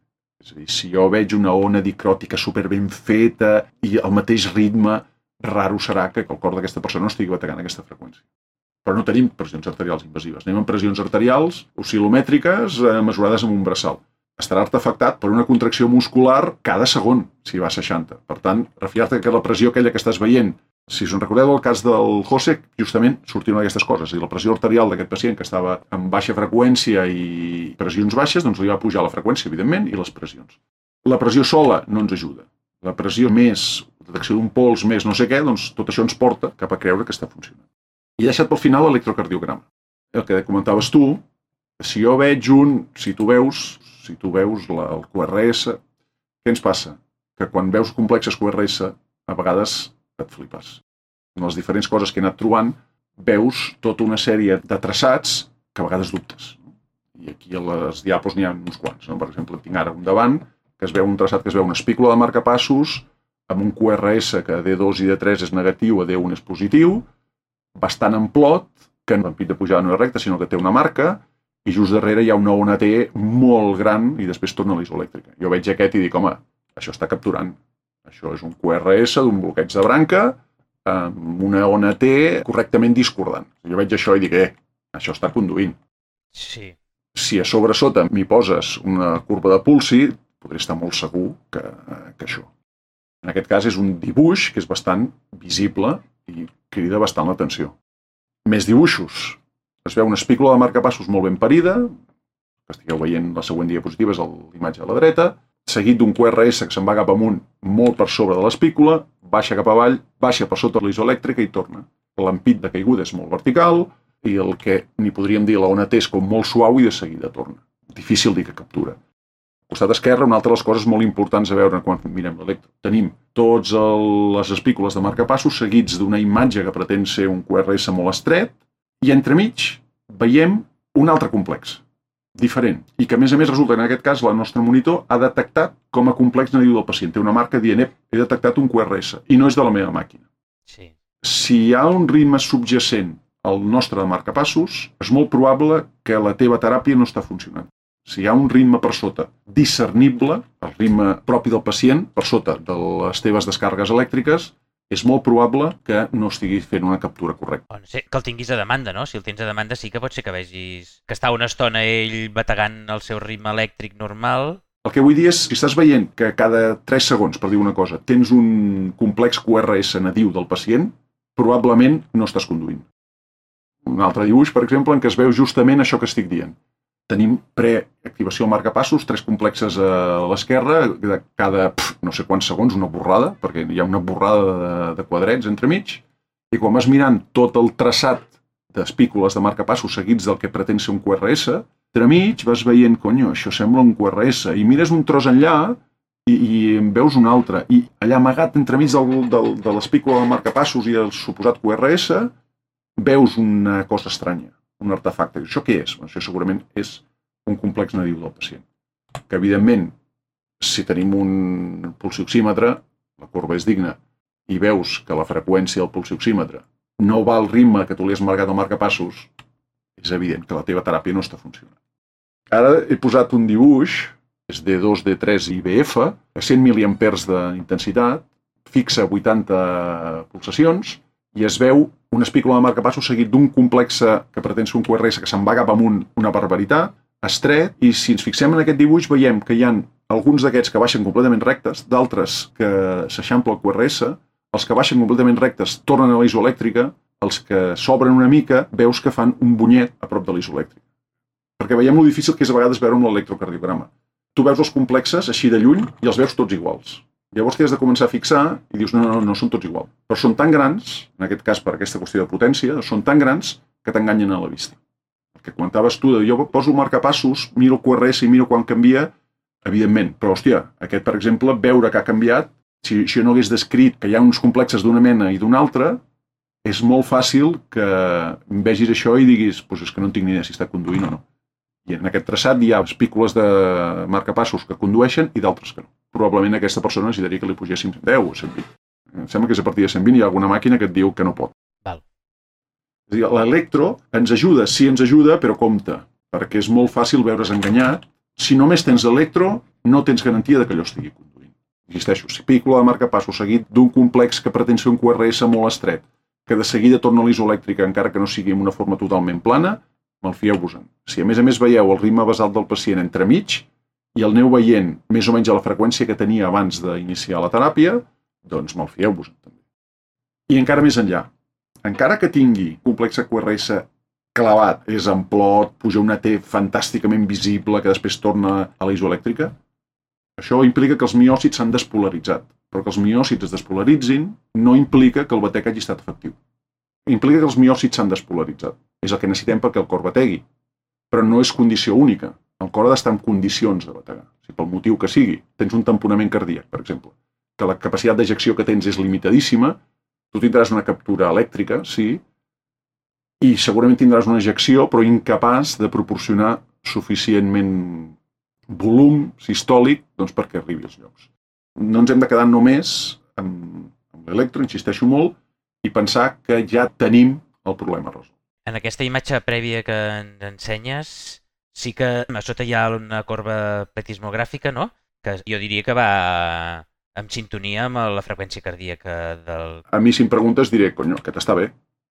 És a dir, si jo veig una ona dicròtica super ben feta i el mateix ritme, raro serà que el cor d'aquesta persona no estigui bategant aquesta freqüència. Però no tenim pressions arterials invasives. Anem amb pressions arterials oscil·lomètriques eh, mesurades amb un braçal. Estarà artefactat per una contracció muscular cada segon, si va a seixanta. Per tant, refiar-te que la pressió aquella que estàs veient, si us en recordeu el cas del José, justament sortien aquestes coses. I la pressió arterial d'aquest pacient que estava amb baixa freqüència i pressions baixes, doncs li va pujar la freqüència, evidentment, i les pressions. La pressió sola no ens ajuda. La pressió més, detecció d'un pols més no sé què, doncs tot això ens porta cap a creure que està funcionant. I he deixat pel final l'electrocardiograma. El que comentaves tu, si jo veig un, si tu veus, si tu veus la, el Q R S, què ens passa? Que quan veus complexes Q R S, a vegades et flipes. En les diferents coses que he anat trobant, veus tota una sèrie de traçats que a vegades dubtes. I aquí a les diapos n'hi ha uns quants. No? Per exemple, tinc ara un davant, que es veu un traçat que es veu una espícula de marcapassos, amb un Q R S que D dos i D tres és negatiu, a D un és positiu, bastant amplot, que no l'ampit de pujada no és recte, sinó que té una marca, i just darrere hi ha una ona T molt gran i després torna a l'isoelèctrica. Jo veig aquest i dic, home, això està capturant. Això és un Q R S d'un bloqueig de branca amb una ona T correctament discordant. Jo veig això i dic, eh, això està conduint. Sí. Si a sobre sota m'hi poses una curva de pulsi, podré estar molt segur que, que això. En aquest cas és un dibuix que és bastant visible i crida bastant l'atenció. Més dibuixos. Es veu una espícula de marcapassos molt ben parida, que estigueu veient la següent diapositiva, és l'imatge a la dreta, seguit d'un Q R S que se'n va cap amunt molt per sobre de l'espícula, baixa cap avall, baixa per sota de l'isoelèctrica i torna. L'ampit de caiguda és molt vertical i el que n'hi podríem dir la ona T és com molt suau i de seguida torna. Difícil dir que captura. Al costat esquerre, una altra de les coses molt importants a veure quan mirem l'electro. Tenim tots les espícules de marcapassos seguits d'una imatge que pretén ser un Q R S molt estret i entremig veiem un altre complex, diferent, i que a més a més resulta que en aquest cas el nostre monitor ha detectat com a complex nadiu del pacient. Té una marca dient, he detectat un Q R S i no és de la meva màquina. Sí. Si hi ha un ritme subjacent al nostre de marcapassos, és molt probable que la teva teràpia no està funcionant. Si hi ha un ritme per sota discernible, el ritme propi del pacient, per sota de les teves descàrregues elèctriques, és molt probable que no estigui fent una captura correcta. No sé, que el tinguis a demanda, no? Si el tens a demanda sí que pot ser que vegis que està una estona ell bategant el seu ritme elèctric normal. El que vull dir és, si estàs veient que cada tres segons, per dir una cosa, tens un complex Q R S nadiu del pacient, probablement no estàs conduint. Un altre dibuix, per exemple, en què es veu justament això que estic dient. Tenim preactivació al marcapassos, tres complexes a l'esquerra, de cada pf, no sé quants segons, una borrada, perquè hi ha una borrada de, de quadrets entremig, i quan vas mirant tot el traçat d'espícules de marcapassos seguits del que pretén ser un Q R S, entremig vas veient, conyo, això sembla un Q R S, i mires un tros enllà i, i en veus un altre, i allà amagat entremig del, del, de l'espícula del marcapassos i el suposat Q R S, veus una cosa estranya, un artefacte. Això què és? Això segurament és un complex nadiu del pacient. Que, evidentment, si tenim un pulsioxímetre, la corba és digna, i veus que la freqüència del pulsioxímetre no va al ritme que tu li has marcat al marcapassos, és evident que la teva teràpia no està funcionant. Ara he posat un dibuix, és D dos, D tres i B F, a cent miliamperes d'intensitat, fixa vuitanta pulsacions, i es veu una espícula de marcapassos seguit d'un complex que pretén ser un Q R S que se'n va cap amunt una barbaritat, estret, i si ens fixem en aquest dibuix veiem que hi ha alguns d'aquests que baixen completament rectes, d'altres que s'eixampla el Q R S, els que baixen completament rectes tornen a la isoelèctrica, els que s'obren una mica veus que fan un bunyet a prop de la isoelèctrica. Perquè veiem lo difícil que és a vegades veure amb l'electrocardiograma. Tu veus els complexes així de lluny i els veus tots iguals. Llavors t'hi has de començar a fixar i dius, no, no, no, són tots iguals. Però són tan grans, en aquest cas per aquesta qüestió de potència, són tan grans que t'enganyen a la vista. El que comentaves tu, de jo poso el marcapassos, miro el Q R S i miro quan canvia, evidentment. Però, hòstia, aquest, per exemple, veure que ha canviat, si, si jo no hagués descrit que hi ha uns complexes d'una mena i d'una altra, és molt fàcil que vegis això i diguis, doncs és que no en tinc ni idea si està conduint o no. I en aquest traçat hi ha espícules de marcapassos que condueixen i d'altres que no. Probablement aquesta persona necessitaria que li pugéssim deu o cent vint. Em sembla que és a partir de cent vint i hi ha alguna màquina que et diu que no pot. Val. És a dir, l'electro ens ajuda, sí ens ajuda, però compte, perquè és molt fàcil veure's enganyat. Si només tens electro, no tens garantia de que allò estigui conduint. Insisteixo, espícula de marcapassos seguit d'un complex que pretén ser un Q R S molt estret, que de seguida torna a l'isoelèctrica encara que no sigui en una forma totalment plana, malfieu-vos-en. Si a més a més veieu el ritme basal del pacient entremig i el aneu veient més o menys a la freqüència que tenia abans d'iniciar la teràpia, doncs malfieu-vos-en també. I encara més enllà, encara que tingui complex Q R S clavat, és amplot, puja una T fantàsticament visible que després torna a la isoelèctrica, això implica que els miòcits s'han despolaritzat, però que els miòcits es despolaritzin no implica que el batec hagi estat efectiu. Implica que els miòcits s'han despolaritzat. És el que necessitem perquè el cor bategui. Però no és condició única. El cor ha d'estar en condicions de bategar. Si pel motiu que sigui, tens un tamponament cardíac, per exemple, que la capacitat d'ejecció que tens és limitadíssima, tu tindràs una captura elèctrica, sí, i segurament tindràs una ejecció, però incapaç de proporcionar suficientment volum sistòlic doncs, perquè arribi als llocs. No ens hem de quedar només amb, amb l'electro, insisteixo molt, i pensar que ja tenim el problema resolt. En aquesta imatge prèvia que ens ensenyes, sí que a sota hi ha una corba pletismogràfica, no? Que jo diria que va en sintonia amb la freqüència cardíaca del... A mi, si em preguntes, diré, conyo, aquest està bé.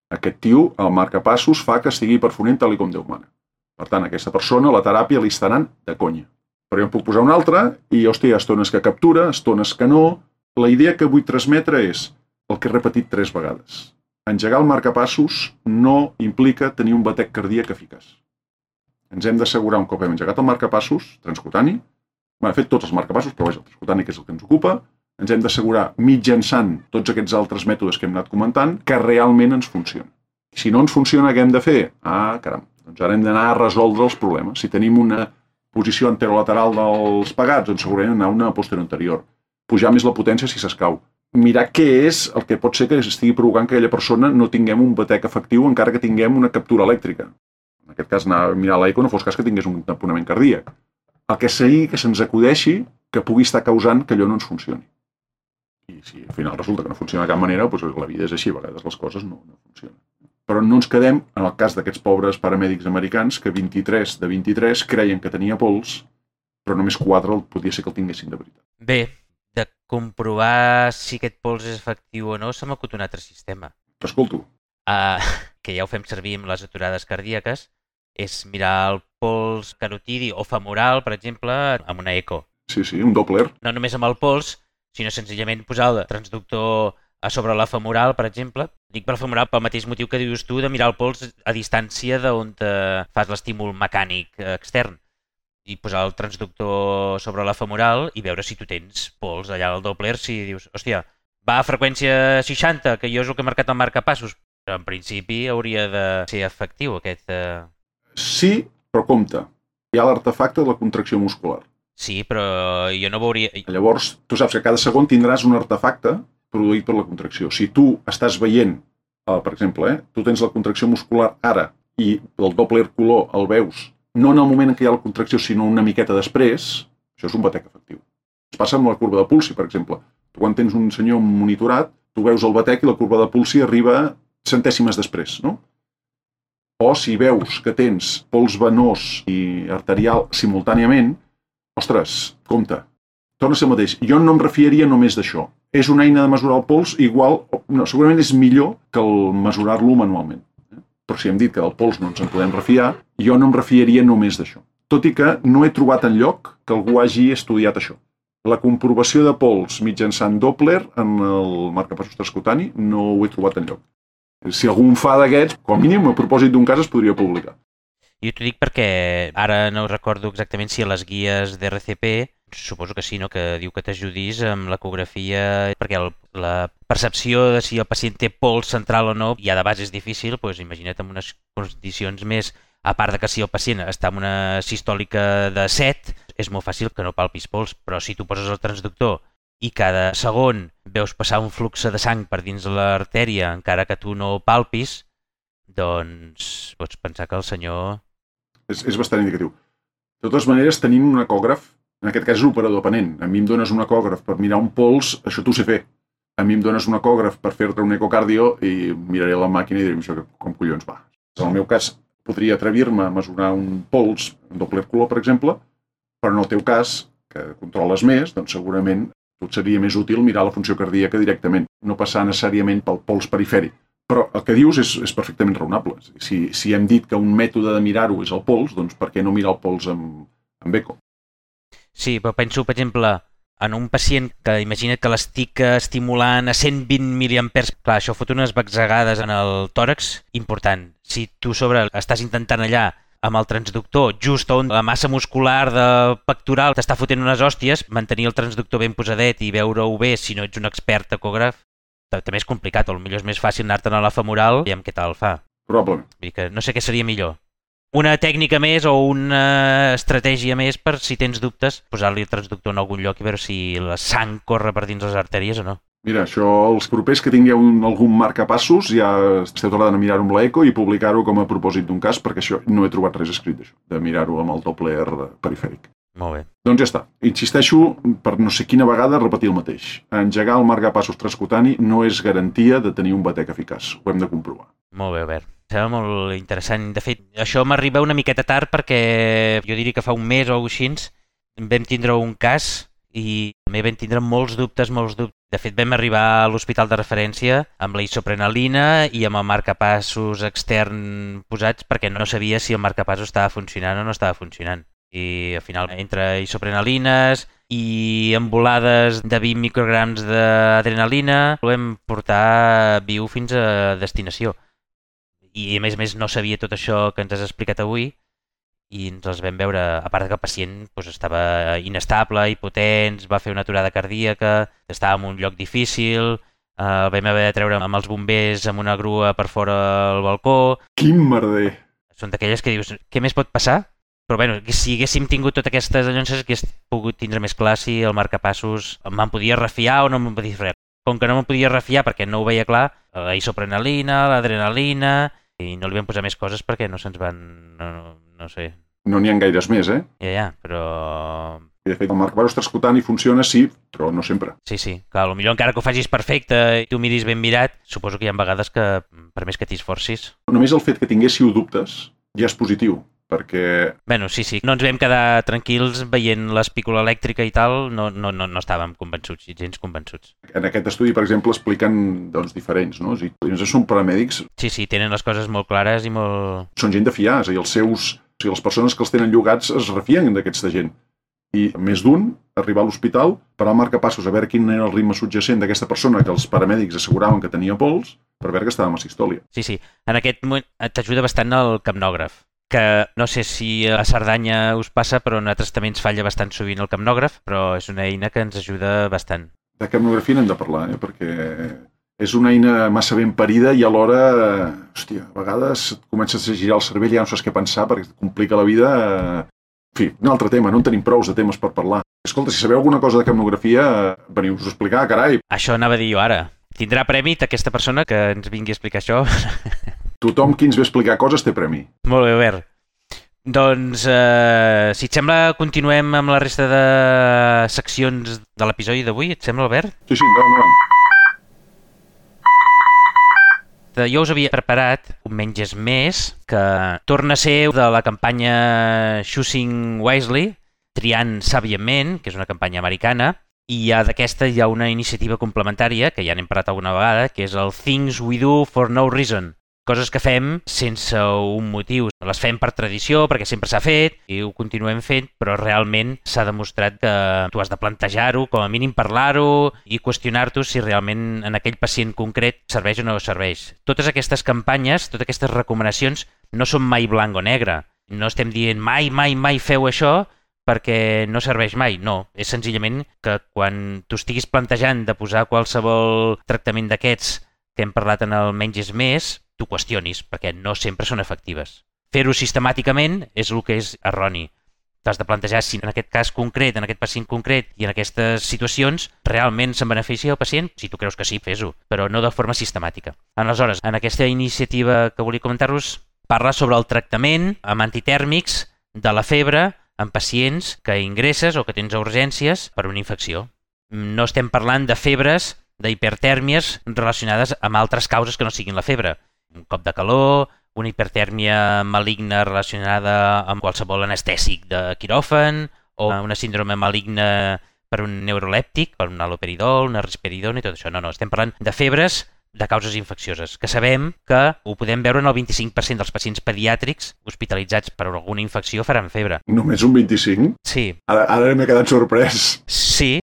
Aquest tio, el marcapassos, fa que estigui perfonent tal com Déu mana. Per tant, aquesta persona, la teràpia li està anant de conya. Però jo em puc posar una altra i, hòstia, estones que captura, estones que no... La idea que vull transmetre és el que he repetit tres vegades. Engegar el marcapassos no implica tenir un batec cardíac eficaç. Ens hem d'assegurar un cop hem engegat el marcapassos transcutani, hem fet tots els marcapassos, però vaja, el transcutani que és el que ens ocupa, ens hem d'assegurar mitjançant tots aquests altres mètodes que hem anat comentant que realment ens funciona. Si no ens funciona, què hem de fer? Ah, caram, doncs ara hem d'anar a resoldre els problemes. Si tenim una posició anterolateral dels pegats, doncs segurament anar a una posterior anterior. Pujar més la potència si s'escau. Mirar què és el que pot ser que estigui provocant que aquella persona no tinguem un batec efectiu encara que tinguem una captura elèctrica. En aquest cas, anar a mirar l'eco no fos cas que tingués un tamponament cardíac. El que sigui que se'ns acudeixi que pugui estar causant que allò no ens funcioni. I si al final resulta que no funciona de cap manera, doncs la vida és així, a vegades les coses no, no funcionen. Però no ens quedem, en el cas d'aquests pobres paramèdics americans, que vint-i-tres de vint-i-tres creien que tenia pols, però només quatre podia ser que el tinguessin de veritat. Bé, de comprovar si aquest pols és efectiu o no, s'ha m'acut un altre sistema. T'escolto. Uh, que ja ho fem servir amb les aturades cardíaques, és mirar el pols carotidi o femoral, per exemple, amb una eco. Sí, sí, un Doppler. No només amb el pols, sinó senzillament posar el transductor a sobre la femoral, per exemple. Dic per la femoral pel mateix motiu que dius tu de mirar el pols a distància d'on fas l'estímul mecànic extern. I posar el transductor sobre la femoral i veure si tu tens pols allà al Doppler, si dius, hòstia, va a freqüència seixanta, que jo és el que he marcat el marcapassos, però en principi hauria de ser efectiu aquest... Eh... Sí, però compte, hi ha l'artefacte de la contracció muscular. Sí, però jo no veuria... Llavors, tu saps que cada segon tindràs un artefacte produït per la contracció. Si tu estàs veient uh, per exemple, eh, tu tens la contracció muscular ara i el Doppler color el veus no en el moment en què hi ha la contracció, sinó una miqueta després, això és un batec efectiu. Es passa amb la curva de Pulsi, per exemple. Tu quan tens un senyor monitorat, tu veus el batec i la curva de Pulsi arriba centèsimes després, no? O si veus que tens pols venós i arterial simultàniament, ostres, compte, torna a ser el mateix. Jo no em refiaria només d'això. És una eina de mesurar el pols igual, no, segurament és millor que el mesurar-lo manualment. Però si hem dit que del pols no ens en podem refiar, jo no em refiaria només d'això. Tot i que no he trobat enlloc que algú hagi estudiat això. La comprovació de pols mitjançant Doppler en el marcapassos transcutani no ho he trobat enlloc. Si algú en fa d'aquests, com a mínim, a propòsit d'un cas es podria publicar. Jo t'ho dic perquè ara no recordo exactament si a les guies d'R C P, suposo que sí, no? Que diu que t'ajudis amb l'ecografia, perquè el, la percepció de si el pacient té pols central o no ja de base és difícil, doncs imagina't en unes condicions més, a part de que si el pacient està en una sistòlica de set, és molt fàcil que no palpis pols, però si tu poses el transductor i cada segon veus passar un flux de sang per dins de l'artèria, encara que tu no palpis, doncs pots pensar que el senyor... És, és bastant indicatiu. De totes maneres, tenint un ecògraf, en aquest cas és l'operador dependent. A mi em dones un ecògraf per mirar un pols, això t'ho sé fer. A mi em dones un ecògraf per fer-te un ecocardio i miraré la màquina i diré, això com collons va. En el meu cas, podria atrevir-me a mesurar un pols, un Doppler color, per exemple, però en el teu cas, que controles més, doncs segurament tot seria més útil mirar la funció cardíaca directament, no passar necessàriament pel pols perifèric. Però el que dius és, és perfectament raonable. Si, si hem dit que un mètode de mirar-ho és el pols, doncs per què no mirar el pols amb, amb eco? Sí, però penso, per exemple, en un pacient que imagina't que l'estic estimulant a cent vint miliampers, clar, això fot unes batzegades en el tòrax important. Si tu sobre estàs intentant allà amb el transductor, just on la massa muscular de pectoral t'està fotent unes hòsties, mantenir el transductor ben posadet i veure-ho bé si no ets un expert ecògraf, també és complicat, o potser és més fàcil anar-te'n a la femoral i amb què tal fa. Probablement. Vull dir que no sé què seria millor. Una tècnica més o una estratègia més per, si tens dubtes, posar-li el transductor en algun lloc i veure si la sang corre per dins les artèries o no. Mira, això, els propers que tingueu un, algun marcapassos, ja esteu tardant a mirar-ho amb l'eco i publicar-ho com a propòsit d'un cas, perquè això no he trobat res escrit d'això, de mirar-ho amb el Doppler perifèric. Molt bé. Doncs ja està. Insisteixo, per no sé quina vegada, repetir el mateix. Engegar el marcapassos transcutani no és garantia de tenir un batec eficaç. Ho hem de comprovar. Molt bé, Albert. Sembla molt interessant. De fet, això m'arriba una miqueta tard perquè jo diria que fa un mes o alguna cosa així vam tindre un cas i també vam tindre molts dubtes, molts dubtes. De fet, vam arribar a l'hospital de referència amb la isoprenalina i amb el marcapassos extern posats perquè no sabia si el marcapassos estava funcionant o no estava funcionant. I al final, entre isoprenalines i embolades de vint micrograms d'adrenalina, ho vam portar viu fins a destinació. I a més a més no sabia tot això que ens has explicat avui i ens els vam veure, a part que el pacient doncs, estava inestable, hipotent, va fer una aturada cardíaca, estava en un lloc difícil, eh, el vam haver de treure amb els bombers amb una grua per fora al balcó. Quin merder! Són d'aquelles que dius, què més pot passar? Però bueno, si haguéssim tingut totes aquestes allonces, hagués pogut tindre més clar si el marcapassos me'n podia refiar o no me'n podia refiar. Com que no me'n podia refiar perquè no ho veia clar, la isoprenalina, l'adrenalina, i no li vam posar més coses perquè no se'ns van... No, no, no sé. No n'hi ha gaires més, eh? Ja, ja, però... I de fet, el marcapassos transcutani funciona, sí, però no sempre. Sí, sí. Clar, potser encara que ho facis perfecte i tu miris ben mirat, suposo que hi ha vegades que, per més que t'hi esforcis... Només el fet que tinguéssiu dubtes ja és positiu, perquè... Bueno, sí, sí. No ens vam quedar tranquils veient l'espícula elèctrica i tal, no, no, no, no estàvem convençuts, gens convençuts. En aquest estudi, per exemple, expliquen doncs, diferents, no? O sigui, són paramèdics... Sí, sí, tenen les coses molt clares i molt... Són gent de fiar, és a dir, els seus... O sigui, les persones que els tenen llogats es refien d'aquesta gent. I més d'un, arribar a l'hospital, parar el marcapassos a veure quin era el ritme subjacent d'aquesta persona que els paramèdics asseguraven que tenia pols, per veure que estava amb asistòlia. Sí, sí. En aquest moment t'ajuda bastant el capnògraf, que no sé si a Cerdanya us passa, però a nosaltres també ens falla bastant sovint el capnògraf, però és una eina que ens ajuda bastant. De capnografia n'hem de parlar, eh? Perquè és una eina massa ben parida i alhora, hòstia, a vegades comences a girar el cervell i ja no saps què pensar perquè et complica la vida. En fi, un altre tema, no en tenim prous de temes per parlar. Escolta, si sabeu alguna cosa de capnografia, veniu-vos a explicar, carai. Això anava a dir jo ara, Tindrà premi aquesta persona que ens vingui a explicar això? Tothom qui ens ve a explicar coses té premi. Molt bé, Albert. Doncs, eh, si et sembla, continuem amb la resta de seccions de l'episodi d'avui. Et sembla, Albert? Sí, sí, endavant, endavant. Jo us havia preparat un Menges Més que torna a ser de la campanya Choosing Wisely, triant sàviament, que és una campanya americana, i ja d'aquesta hi ha una iniciativa complementària, que ja n'hem parlat alguna vegada, que és el Things We Do for No Reason. Coses que fem sense un motiu. Les fem per tradició, perquè sempre s'ha fet, i ho continuem fent, però realment s'ha demostrat que tu has de plantejar-ho, com a mínim parlar-ho, i qüestionar-t'ho si realment en aquell pacient concret serveix o no serveix. Totes aquestes campanyes, totes aquestes recomanacions, no són mai blanc o negre. No estem dient mai, mai, mai feu això, perquè no serveix mai. No, és senzillament que quan tu estiguis plantejant de posar qualsevol tractament d'aquests que hem parlat en el Menges Més, tu qüestionis, perquè no sempre són efectives. Fer-ho sistemàticament és el que és erroni. T'has de plantejar si en aquest cas concret, en aquest pacient concret i en aquestes situacions realment se'n beneficia el pacient. Si tu creus que sí, fes-ho, però no de forma sistemàtica. Aleshores, en aquesta iniciativa que volia comentar-vos, parla sobre el tractament amb antitèrmics de la febre en pacients que ingresses o que tens a urgències per una infecció. No estem parlant de febres, d'hipertèrmies relacionades amb altres causes que no siguin la febre. Un cop de calor, una hipertèrmia maligna relacionada amb qualsevol anestèsic de quiròfan o una síndrome maligna per un neurolèptic, per un haloperidol, una risperidona i tot això. No, no, estem parlant de febres de causes infeccioses, que sabem que ho podem veure en el vint-i-cinc per cent dels pacients pediàtrics hospitalitzats per alguna infecció faran febre. Només un vint-i-cinc? Sí. Ara, ara m'he quedat sorprès. Sí,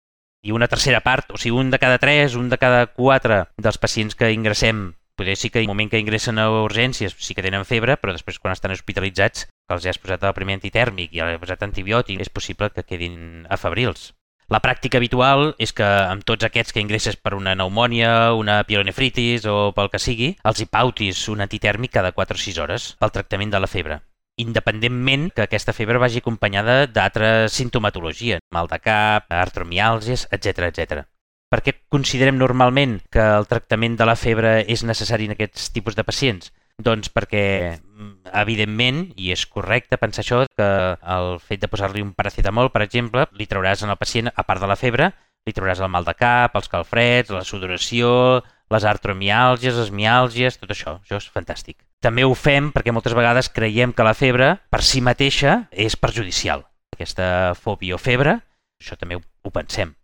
i una tercera part, o sigui, un de cada tres, un de cada quatre dels pacients que ingressem, potser sí que al moment que ingressen a urgències sí que tenen febre, però després quan estan hospitalitzats, que els has posat el primer antitèrmic i els has posat antibiòtic, és possible que quedin afebrils. La pràctica habitual és que amb tots aquests que ingresses per una pneumònia, una pielonefritis o pel que sigui, els hi pautis un antitèrmic cada quatre o sis hores pel tractament de la febre, independentment que aquesta febre vagi acompanyada d'altra sintomatologia, mal de cap, artromiàlgies, etcètera, etcètera. Per què considerem normalment que el tractament de la febre és necessari en aquests tipus de pacients? Doncs perquè, evidentment, i és correcte pensar això, que el fet de posar-li un paracetamol, per exemple, li trauràs en el pacient, a part de la febre, li trauràs el mal de cap, els calfreds, la sudoració, les artromiàlgies, les miàlgies, tot això. Això és fantàstic. També ho fem perquè moltes vegades creiem que la febre per si mateixa és perjudicial. Aquesta fòbia o febre, això també ho, ho pensem.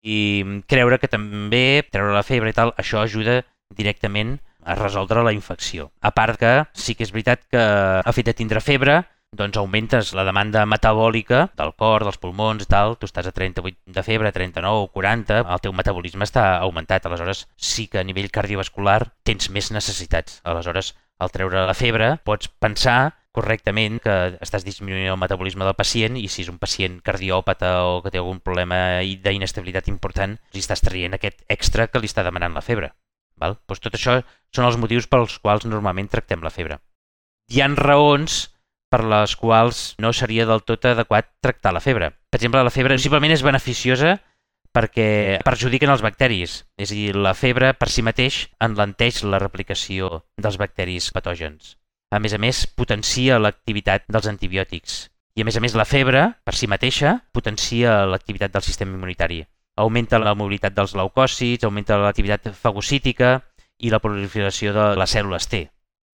I creure que també treure la febre i tal, això ajuda directament a resoldre la infecció. A part que sí que és veritat que el fet de tindre febre doncs augmentes la demanda metabòlica del cor, dels pulmons i tal. Tu estàs a trenta-vuit de febre, trenta-nou, quaranta, el teu metabolisme està augmentat. Aleshores sí que a nivell cardiovascular tens més necessitats. Aleshores, al treure la febre pots pensar correctament que estàs disminuint el metabolisme del pacient i si és un pacient cardiòpata o que té algun problema d'inestabilitat important, li estàs traient aquest extra que li està demanant la febre. Val? Doncs tot això són els motius pels quals normalment tractem la febre. Hi ha raons per les quals no seria del tot adequat tractar la febre. Per exemple, la febre possiblement és beneficiosa perquè perjudiquen els bacteris. És a dir, la febre per si mateix enlenteix la replicació dels bacteris patògens. A més a més, potencia l'activitat dels antibiòtics. I a més a més, la febre, per si mateixa, potencia l'activitat del sistema immunitari. Augmenta la mobilitat dels leucòcits, augmenta l'activitat fagocítica i la proliferació de les cèl·lules T.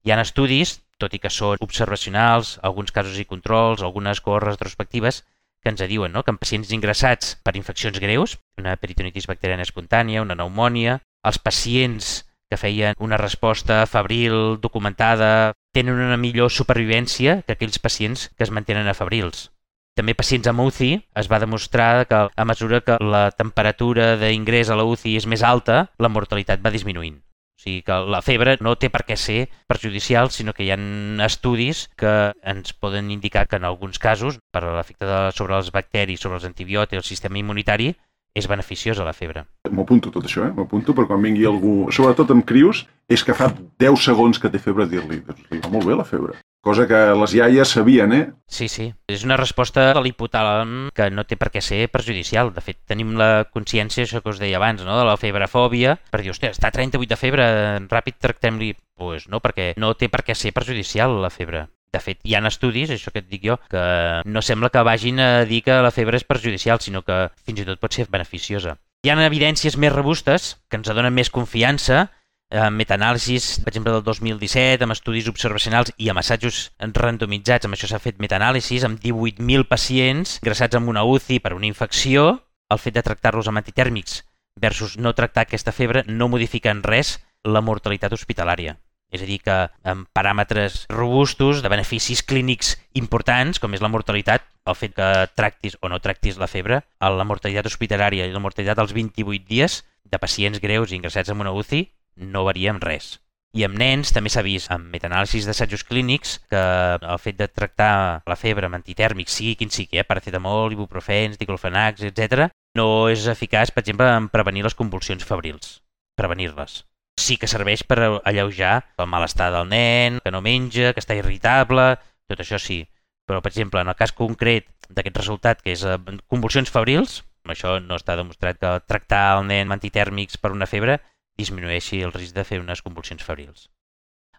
Hi ha estudis, tot i que són observacionals, alguns casos i controls, algunes cohorts retrospectives, que ens diuen no? que en pacients ingressats per infeccions greus, una peritonitis bacteriana espontània, una pneumònia, els pacients que feien una resposta febril, documentada, tenen una millor supervivència que aquells pacients que es mantenen afebrils. També pacients amb U C I es va demostrar que a mesura que la temperatura d'ingrés a la U C I és més alta, la mortalitat va disminuint. O sigui que la febre no té per què ser perjudicial, sinó que hi ha estudis que ens poden indicar que en alguns casos, per l'efecte sobre els bacteris, sobre els antibiòtics, el sistema immunitari, és beneficiosa la febre. M'ho apunto tot això, eh? M'ho apunto per quan vingui algú, sobretot amb crios, és que fa deu segons que té febre dir-li, doncs li va molt bé la febre. cosa que les iaies sabien, eh? Sí, sí. És una resposta de l'hipotàlem que no té per què ser perjudicial. De fet, tenim la consciència, això que us deia abans, no? De la febrefòbia, per dir, hòstia, està a trenta-vuit de febre, ràpid tractem-li. Doncs pues no, perquè no té per què ser perjudicial la febre. De fet, hi ha estudis, això que et dic jo, que no sembla que vagin a dir que la febre és perjudicial, sinó que fins i tot pot ser beneficiosa. Hi ha evidències més robustes que ens donen més confiança, eh, metaanàlisis, per exemple, del dos mil disset, amb estudis observacionals i amb assajos randomitzats, amb això s'ha fet metaanàlisis, amb divuit mil pacients ingressats en una U C I per una infecció. El fet de tractar-los amb antitèrmics versus no tractar aquesta febre no modifica en res la mortalitat hospitalària. És a dir, que amb paràmetres robustos de beneficis clínics importants, com és la mortalitat, el fet que tractis o no tractis la febre, la mortalitat hospitalària i la mortalitat als vint-i-vuit dies de pacients greus ingressats en una U C I no varia en res. I amb nens també s'ha vist amb metaanàlisis d'assajos clínics que el fet de tractar la febre amb antitèrmics, sigui quin sigui, eh, paracetamol, ibuprofens, diclofenacs, etcètera, no és eficaç, per exemple, en prevenir les convulsions febrils, prevenir-les. Sí que serveix per alleujar el malestar del nen, que no menja, que està irritable, tot això sí. Però, per exemple, en el cas concret d'aquest resultat, que és convulsions febrils, això no està demostrat que tractar el nen amb antitèrmics per una febre disminueixi el risc de fer unes convulsions febrils.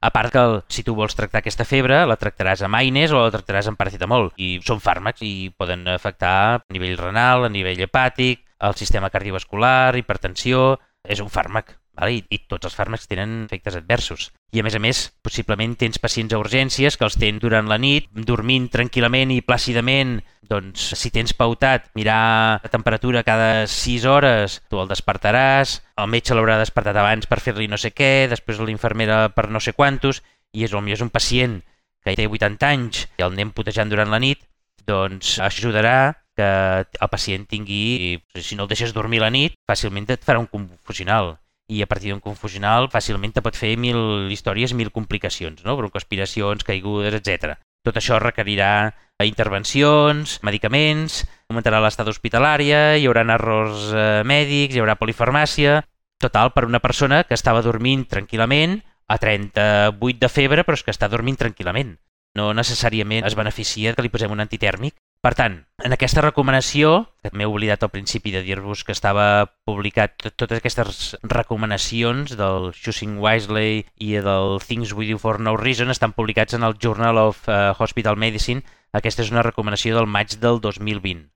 A part que el, si tu vols tractar aquesta febre, la tractaràs amb AINES o la tractaràs amb paracetamol. I són fàrmacs i poden afectar a nivell renal, a nivell hepàtic, el sistema cardiovascular, hipertensió. És un fàrmac, vale? I, i tots els fàrmacs tenen efectes adversos. I a més a més, possiblement tens pacients a urgències que els tens durant la nit, dormint tranquil·lament i plàcidament. Doncs si tens pautat mirar la temperatura cada sis hores, tu el despertaràs, el metge l'haurà despertat abans per fer-li no sé què, després l'infermera per no sé quantos, i és, potser és un pacient que té vuitanta anys i el anem putejant durant la nit, doncs ajudarà que el pacient tingui, si no el deixes dormir la nit, fàcilment et farà un confusional. I a partir d'un confusional fàcilment te pot fer mil històries, mil complicacions, no? Broncoaspiracions, caigudes, etcètera. Tot això requerirà intervencions, medicaments, augmentarà l'estada hospitalària, hi haurà errors eh, mèdics, hi haurà polifarmàcia. Total, per una persona que estava dormint tranquil·lament a trenta-vuit de febre, però és que està dormint tranquil·lament. No necessàriament es beneficia que li posem un antitèrmic. Per tant, en aquesta recomanació, que m'he oblidat al principi de dir-vos que estava publicat totes aquestes recomanacions del Choosing Wisely i del Things We Do for No Reason estan publicats en el Journal of uh, Hospital Medicine. Aquesta és una recomanació del maig del dos mil vint.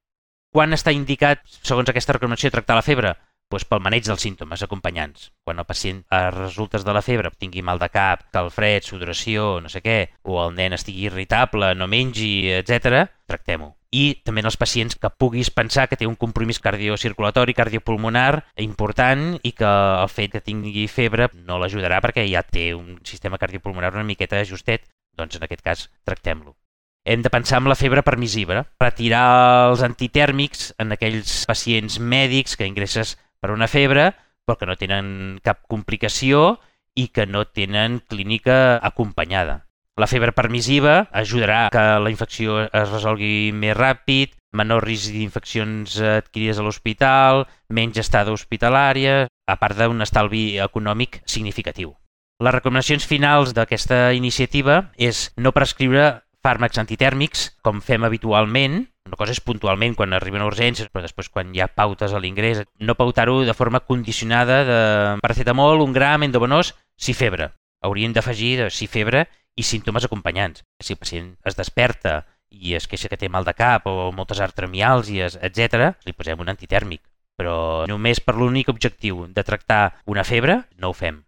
Quan està indicat, segons aquesta recomanació, tractar la febre? Doncs pel maneig dels símptomes acompanyants. Quan el pacient a resultes de la febre tingui mal de cap, calfred, sudoració, no sé què, o el nen estigui irritable, no mengi, etcètera, tractem-ho. I també en els pacients que puguis pensar que té un compromís cardiocirculatori, cardiopulmonar important i que el fet que tingui febre no l'ajudarà perquè ja té un sistema cardiopulmonar una miqueta ajustet, doncs en aquest cas tractem-lo. Hem de pensar en la febre permissiva, retirar els antitèrmics en aquells pacients mèdics que ingresses per una febre però que no tenen cap complicació i que no tenen clínica acompanyada. La febre permissiva ajudarà que la infecció es resolgui més ràpid, menor risc d'infeccions adquirides a l'hospital, menys estada hospitalària, a part d'un estalvi econòmic significatiu. Les recomanacions finals d'aquesta iniciativa és no prescriure fàrmacs antitèrmics, com fem habitualment. Una cosa és puntualment quan arriben a urgències, però després quan hi ha pautes a l'ingrés, no pautar-ho de forma condicionada de paracetamol, un gram, endovenós, si febre. Hauríem d'afegir si febre i símptomes acompanyants. Si el pacient es desperta i es queixa que té mal de cap o moltes artremiàlgies, etcètera, li posem un antitèrmic. Però només per l'únic objectiu de tractar una febre, no ho fem.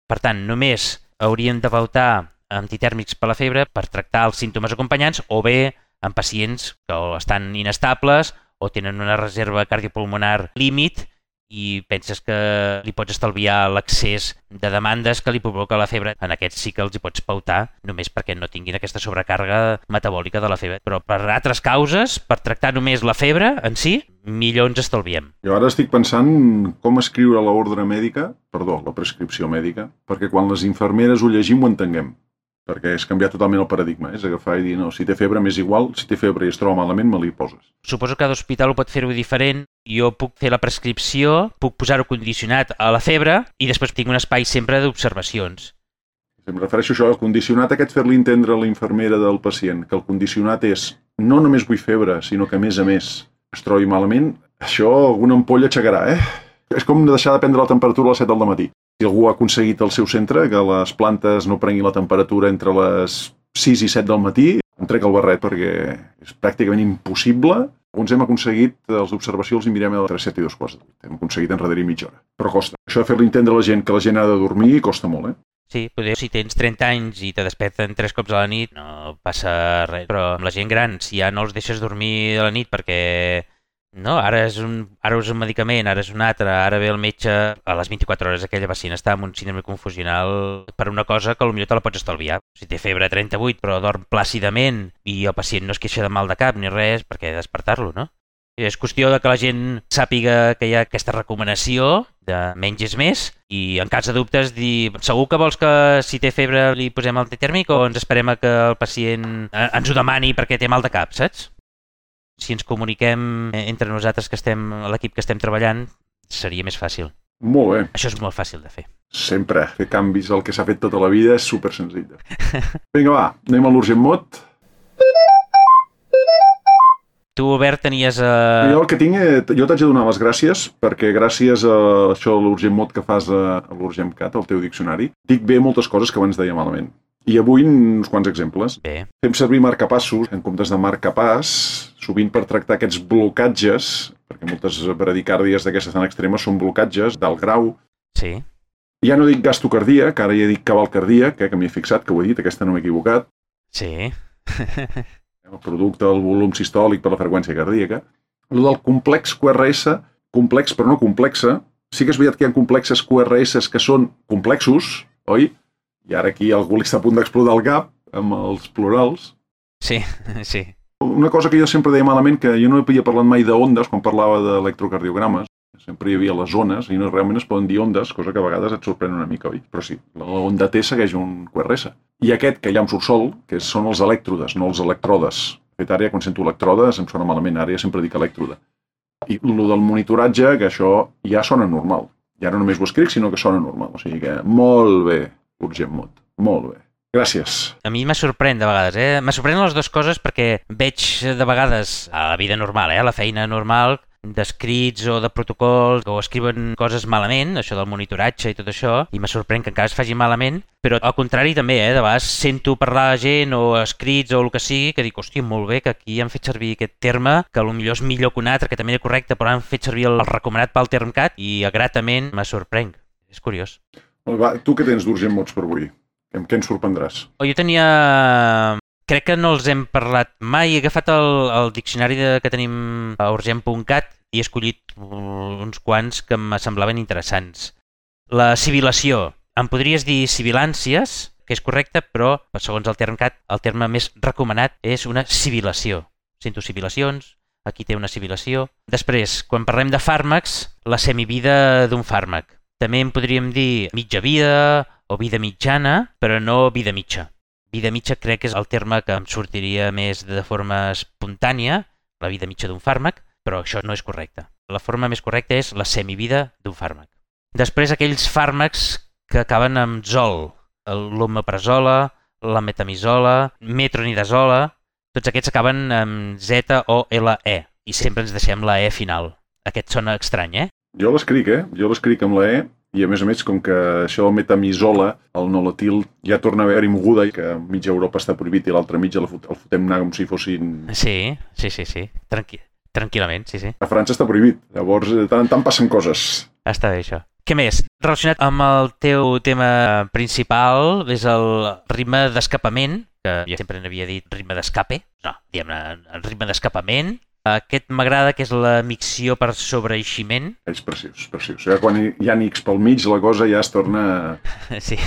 Per tant, només hauríem de pautar antitèrmics per la febre per tractar els símptomes acompanyants o bé en pacients que estan inestables o tenen una reserva cardiopulmonar límit i penses que li pots estalviar l'accés de demandes que li provoca la febre. En aquests sí que els hi pots pautar només perquè no tinguin aquesta sobrecàrrega metabòlica de la febre. Però per altres causes, per tractar només la febre en si, millor ens estalviem. Jo ara estic pensant com escriure l'ordre mèdica, perdó, la prescripció mèdica, perquè quan les infermeres ho llegim ho entenguem. Perquè és canviar totalment el paradigma, és agafar i dir, no, si té febre m'és igual, si té febre i es troba malament, me li poses. Suposo que cada hospital ho pot fer-ho diferent. Jo puc fer la prescripció, puc posar-ho condicionat a la febre i després tinc un espai sempre d'observacions. Em refereixo a això, el condicionat aquest, fer-li entendre a la infermera del pacient que el condicionat és no només vull febre, sinó que a més a més es trobi malament, això alguna ampolla aixecarà, eh? És com deixar de prendre la temperatura a les set del matí. Si algú ha aconseguit al seu centre que les plantes no prenguin la temperatura entre les sis i set del matí, em trec el barret perquè és pràcticament impossible. Alguns hem aconseguit, els d'observació els hi mirem a les set i dos quarts de vuit. Hem aconseguit enrere mitja hora. Però costa. Això de fer-li entendre a la gent que la gent ha de dormir costa molt, eh? Sí, potser si tens trenta anys i te desperten tres cops a la nit no passa res, però amb la gent gran, si ja no els deixes dormir a la nit perquè no, ara és un, ara és un medicament, ara és un altre, ara ve el metge, a les vint-i-quatre hores aquella pacient està amb un síndrome confusional per una cosa que potser te la pots estalviar. Si té febre trenta-vuit però dorm plàcidament i el pacient no es queixa de mal de cap ni res, per què despertar-lo, no? És qüestió de que la gent sàpiga que hi ha aquesta recomanació de menys és més i en cas de dubtes dir segur que vols que si té febre li posem el té tèrmic o ens esperem a que el pacient ens ho demani perquè té mal de cap, saps? Si ens comuniquem entre nosaltres que estem a l'equip que estem treballant seria més fàcil. Molt bé. Això és molt fàcil de fer. Sempre. Fer canvis al que s'ha fet tota la vida és super senzill. Vinga, va, anem a l'Urgent Mod. Tu, Albert, tenies... Uh... Jo el que tinc, jo t'haig de donar les gràcies perquè gràcies a això, l'Urgent Mod que fas a l'Urgent Cat, al teu diccionari, dic bé moltes coses que abans deia malament. I avui uns quants exemples. Bé. Fem servir marcapassos en comptes de marcapàs, sovint per tractar aquests blocatges, perquè moltes bradicàrdies d'aquestes tan extremes són blocatges d'alt grau. Sí. Ja no dic gasto cardíac, ara ja dic cabal cardíac, eh, que m'hi he fixat, que ho he dit, aquesta no m'he equivocat. Sí. El producte del volum sistòlic per la freqüència cardíaca. El del complex Q R S, complex però no complexa. Sí que és veritat que hi ha complexes Q R S que són complexos, oi? I ara aquí algú li està a punt d'explotar el cap amb els plurals. Sí, sí. Una cosa que jo sempre deia malament, que jo no havia parlat mai d'ondes quan parlava d'electrocardiogrames. Sempre hi havia les ones i no realment es poden dir ondes, cosa que a vegades et sorprèn una mica, oi? Però sí, la onda T segueix un Q R S. I aquest que hi ha un subsol, que són els elèctrodes, no els electrodes. De fet, ara ja quan sento electrodes em sona malament, ara ja sempre dic elèctrode. I el del monitoratge, que això ja sona normal. Ja no només ho escric, sinó que sona normal. O sigui que molt bé, Urgent Mod, molt bé. Gràcies. A mi me sorprèn de vegades, eh? Me sorprèn les dues coses perquè veig de vegades a la vida normal, eh? A la feina normal, d'escrits o de protocols o escriuen coses malament, això del monitoratge i tot això, i me sorprèn que encara es faci malament, però al contrari també, eh? De vegades sento parlar de gent o escrits o el que sigui, que dic, hòstia, molt bé, que aquí han fet servir aquest terme, que potser és millor que un altre, que també és correcte, però han fet servir el recomanat pel TermCat i gratament me sorprenc. És curiós. Va, tu què tens d'Urgent Mods per avui? Amb què ens sorprendràs? Oh, jo tenia... Crec que no els hem parlat mai. He agafat el, el diccionari de, que tenim a urgent punt cat i he escollit uns quants que em semblaven interessants. La sibilació. Em podries dir sibilàncies, que és correcte, però segons el TermCat, el terme més recomanat és una sibilació. Sento sibilacions, aquí té una sibilació. Després, quan parlem de fàrmacs, la semivida d'un fàrmac. També en podríem dir mitja vida o vida mitjana, però no vida mitja. Vida mitja crec que és el terme que em sortiria més de forma espontània, la vida mitja d'un fàrmac, però això no és correcte. La forma més correcta és la semivida d'un fàrmac. Després, aquells fàrmacs que acaben amb zol, l'omeprazola, la metamisola, metronidazola, tots aquests acaben amb Z o L E i sempre ens deixem la E final. Aquest sona estrany, eh? Jo l'escric, eh? Jo l'escric amb la E i a més a més, com que això el metamisola, el nolotil, ja torna a haver-hi moguda i que mitja Europa està prohibit i l'altra mitja el fotem anar com si fossin... Sí, sí, sí, sí. Tranqui... Tranquil·lament, sí, sí. A França està prohibit, llavors de tant en tant passen coses. Està bé, això. Què més? Relacionat amb el teu tema principal, és el ritme d'escapament, que jo sempre n'havia dit ritme d'escape, no, diguem-ne, ritme d'escapament. Aquest m'agrada, que és la micció per sobreeiximent. És preciós, preciós. Ja quan hi ha X pel mig, la cosa ja es torna sí.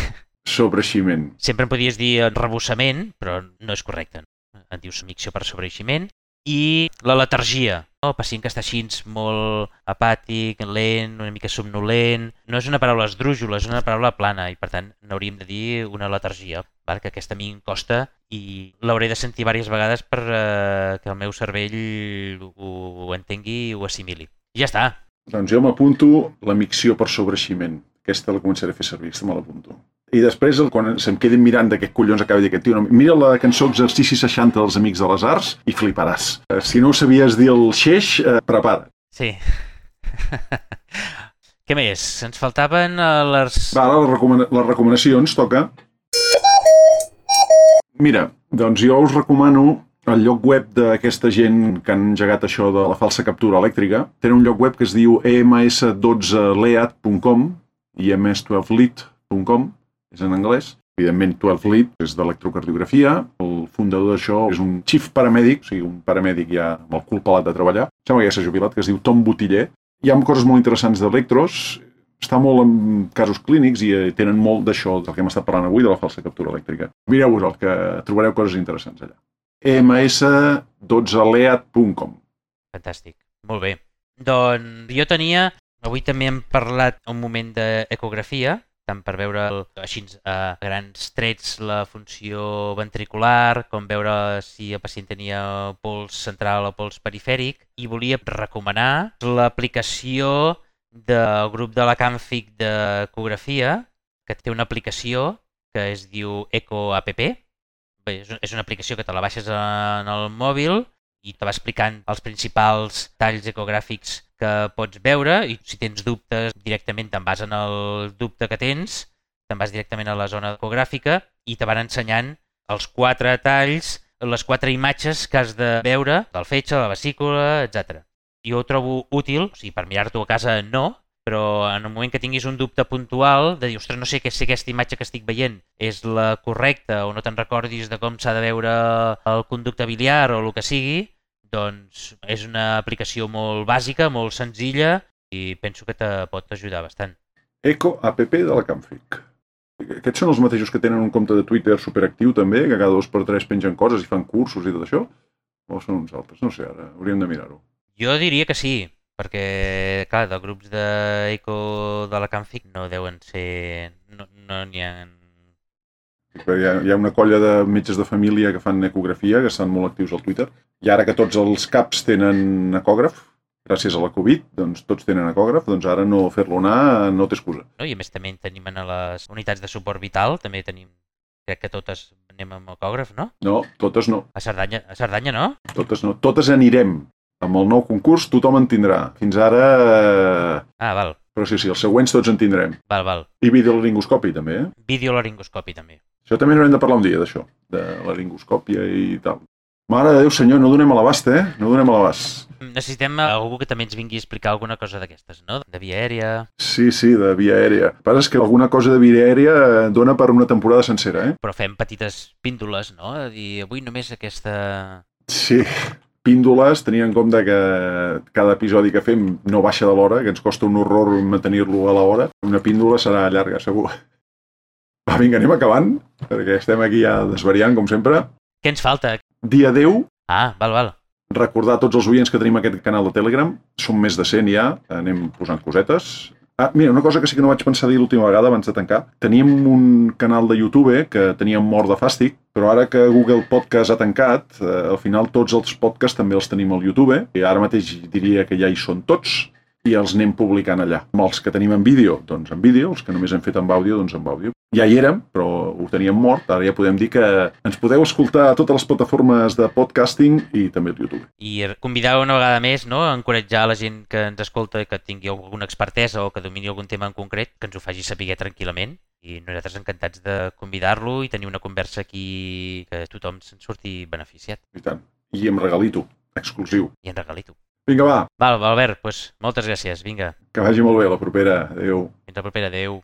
Sobreeiximent. Sempre em podies dir rebossament, però no és correcte. En dius micció per sobreeiximent. I la letargia, no? El pacient que està així molt apàtic, lent, una mica somnolent. No és una paraula esdrújula, és una paraula plana i per tant n'hauríem de dir una letargia, val? Que aquesta a mi em costa i l'hauré de sentir diverses vegades per eh, que el meu cervell ho, ho entengui i ho assimili. I ja està. Doncs jo m'apunto la micció per sobreeiximent. Aquesta la començaré a fer servir, aquesta me l'apunto. I després, quan se'm quedin mirant de què collons acaba de dir aquest tio, no, mira la cançó Exercici seixanta dels Amics de les Arts i fliparàs. Si no sabies dir el xeix, eh, prepara't. Sí. Què més? Ens faltaven les... Va, ara les, recomana les recomanacions, toca. Mira, doncs jo us recomano el lloc web d'aquesta gent que han engegat això de la falsa captura elèctrica. Tenen un lloc web que es diu e eme esse dotze lead punt com i e eme esse dotze lead punt com, és en anglès. Evidentment, dotze lead és d'electrocardiografia. El fundador d'això és un chief paramèdic, o sigui, un paramèdic ja amb el cul pelat de treballar. Sembla que ja s'ha jubilat, que es diu Tom Botiller. Hi ha coses molt interessants d'electros, està molt en casos clínics i tenen molt d'això del que hem estat parlant avui, de la falsa captura elèctrica. Mireu-vos el que trobareu coses interessants allà. e eme esse dotze lead punt com. Fantàstic, molt bé. Doncs jo tenia, avui també hem parlat un moment d'ecografia, tant per veure el, així a grans trets la funció ventricular, com veure si el pacient tenia pols central o pols perifèric, i volia recomanar l'aplicació del grup de la Camfic d'ecografia, que té una aplicació que es diu EcoApp. Bé, és una aplicació que te la baixes en el mòbil i te va explicant els principals talls ecogràfics que pots veure i si tens dubtes directament te'n vas en el dubte que tens, te'n vas directament a la zona ecogràfica i te van ensenyant els quatre talls, les quatre imatges que has de veure del fetge, la vesícula, etcètera. Jo ho trobo útil, o sigui, per mirar-t'ho a casa no, però en el moment que tinguis un dubte puntual de dir, ostres, no sé si aquesta imatge que estic veient és la correcta o no te'n recordis de com s'ha de veure el conducte biliar o el que sigui, doncs és una aplicació molt bàsica, molt senzilla i penso que te pot ajudar bastant. EcoApp de la Camfic. Aquests són els mateixos que tenen un compte de Twitter superactiu també, que cada dos per tres pengen coses i fan cursos i tot això? O són uns altres? No sé, ara hauríem de mirar-ho. Jo diria que sí, perquè, clar, de grups d'eco de la Camfic no deuen ser... no n'hi no ha... Hi ha, hi ha una colla de metges de família que fan ecografia, que estan molt actius al Twitter, i ara que tots els caps tenen ecògraf, gràcies a la Covid, doncs tots tenen ecògraf, doncs ara no fer-lo anar no té excusa. No, I a més també en tenim a les unitats de suport vital, també tenim, crec que totes anem amb ecògraf, no? No, totes no. A Cerdanya, a Cerdanya no? Totes no, totes anirem. Amb el nou concurs tothom en tindrà. Fins ara... Ah, val. Però sí, sí, els següents tots en tindrem. Val, val. I videolaringoscopi també, eh? Videolaringoscopi també. Això també n'haurem de parlar un dia, d'això, de laringoscòpia i tal. Mare de Déu, senyor, no donem a l'abast, eh? No donem a l'abast. Necessitem algú que també ens vingui a explicar alguna cosa d'aquestes, no? De via aèria... Sí, sí, de via aèria. El que passa és que alguna cosa de via aèria dona per una temporada sencera, eh? Però fem petites píndoles, no? De dir, avui només aquesta... Sí, píndoles, tenint en compte que cada episodi que fem no baixa de l'hora, que ens costa un horror mantenir-lo a l'hora. Una píndola serà llarga, segur. Va, vinga, anem acabant, perquè estem aquí ja desvariant, com sempre. Què ens falta? Dia deu. Ah, val, val. Recordar a tots els oients que tenim aquest canal de Telegram. Som més de cent ja, anem posant cosetes. Ah, mira, una cosa que sí que no vaig pensar dir l'última vegada abans de tancar. Teníem un canal de YouTube que teníem mort de fàstic, però ara que Google Podcast ha tancat, eh, al final tots els podcasts també els tenim al YouTube, i ara mateix diria que ja hi són tots, i els anem publicant allà. Amb els que tenim en vídeo, doncs en vídeo, els que només hem fet amb àudio, doncs amb àudio. Ja hi érem, però ho teníem mort, ara ja podem dir que ens podeu escoltar a totes les plataformes de podcasting i també al YouTube. I convidar una vegada més, no?, a encoratjar la gent que ens escolta que tingui alguna expertesa o que domini algun tema en concret, que ens ho faci saber tranquil·lament. I nosaltres encantats de convidar-lo i tenir una conversa aquí que tothom se'n surti beneficiat. I tant. I amb regalito, exclusiu. I en regalito. Vinga, va. Val, Albert, doncs moltes gràcies, vinga. Que vagi molt bé la propera. Adéu. Fins la propera, adéu.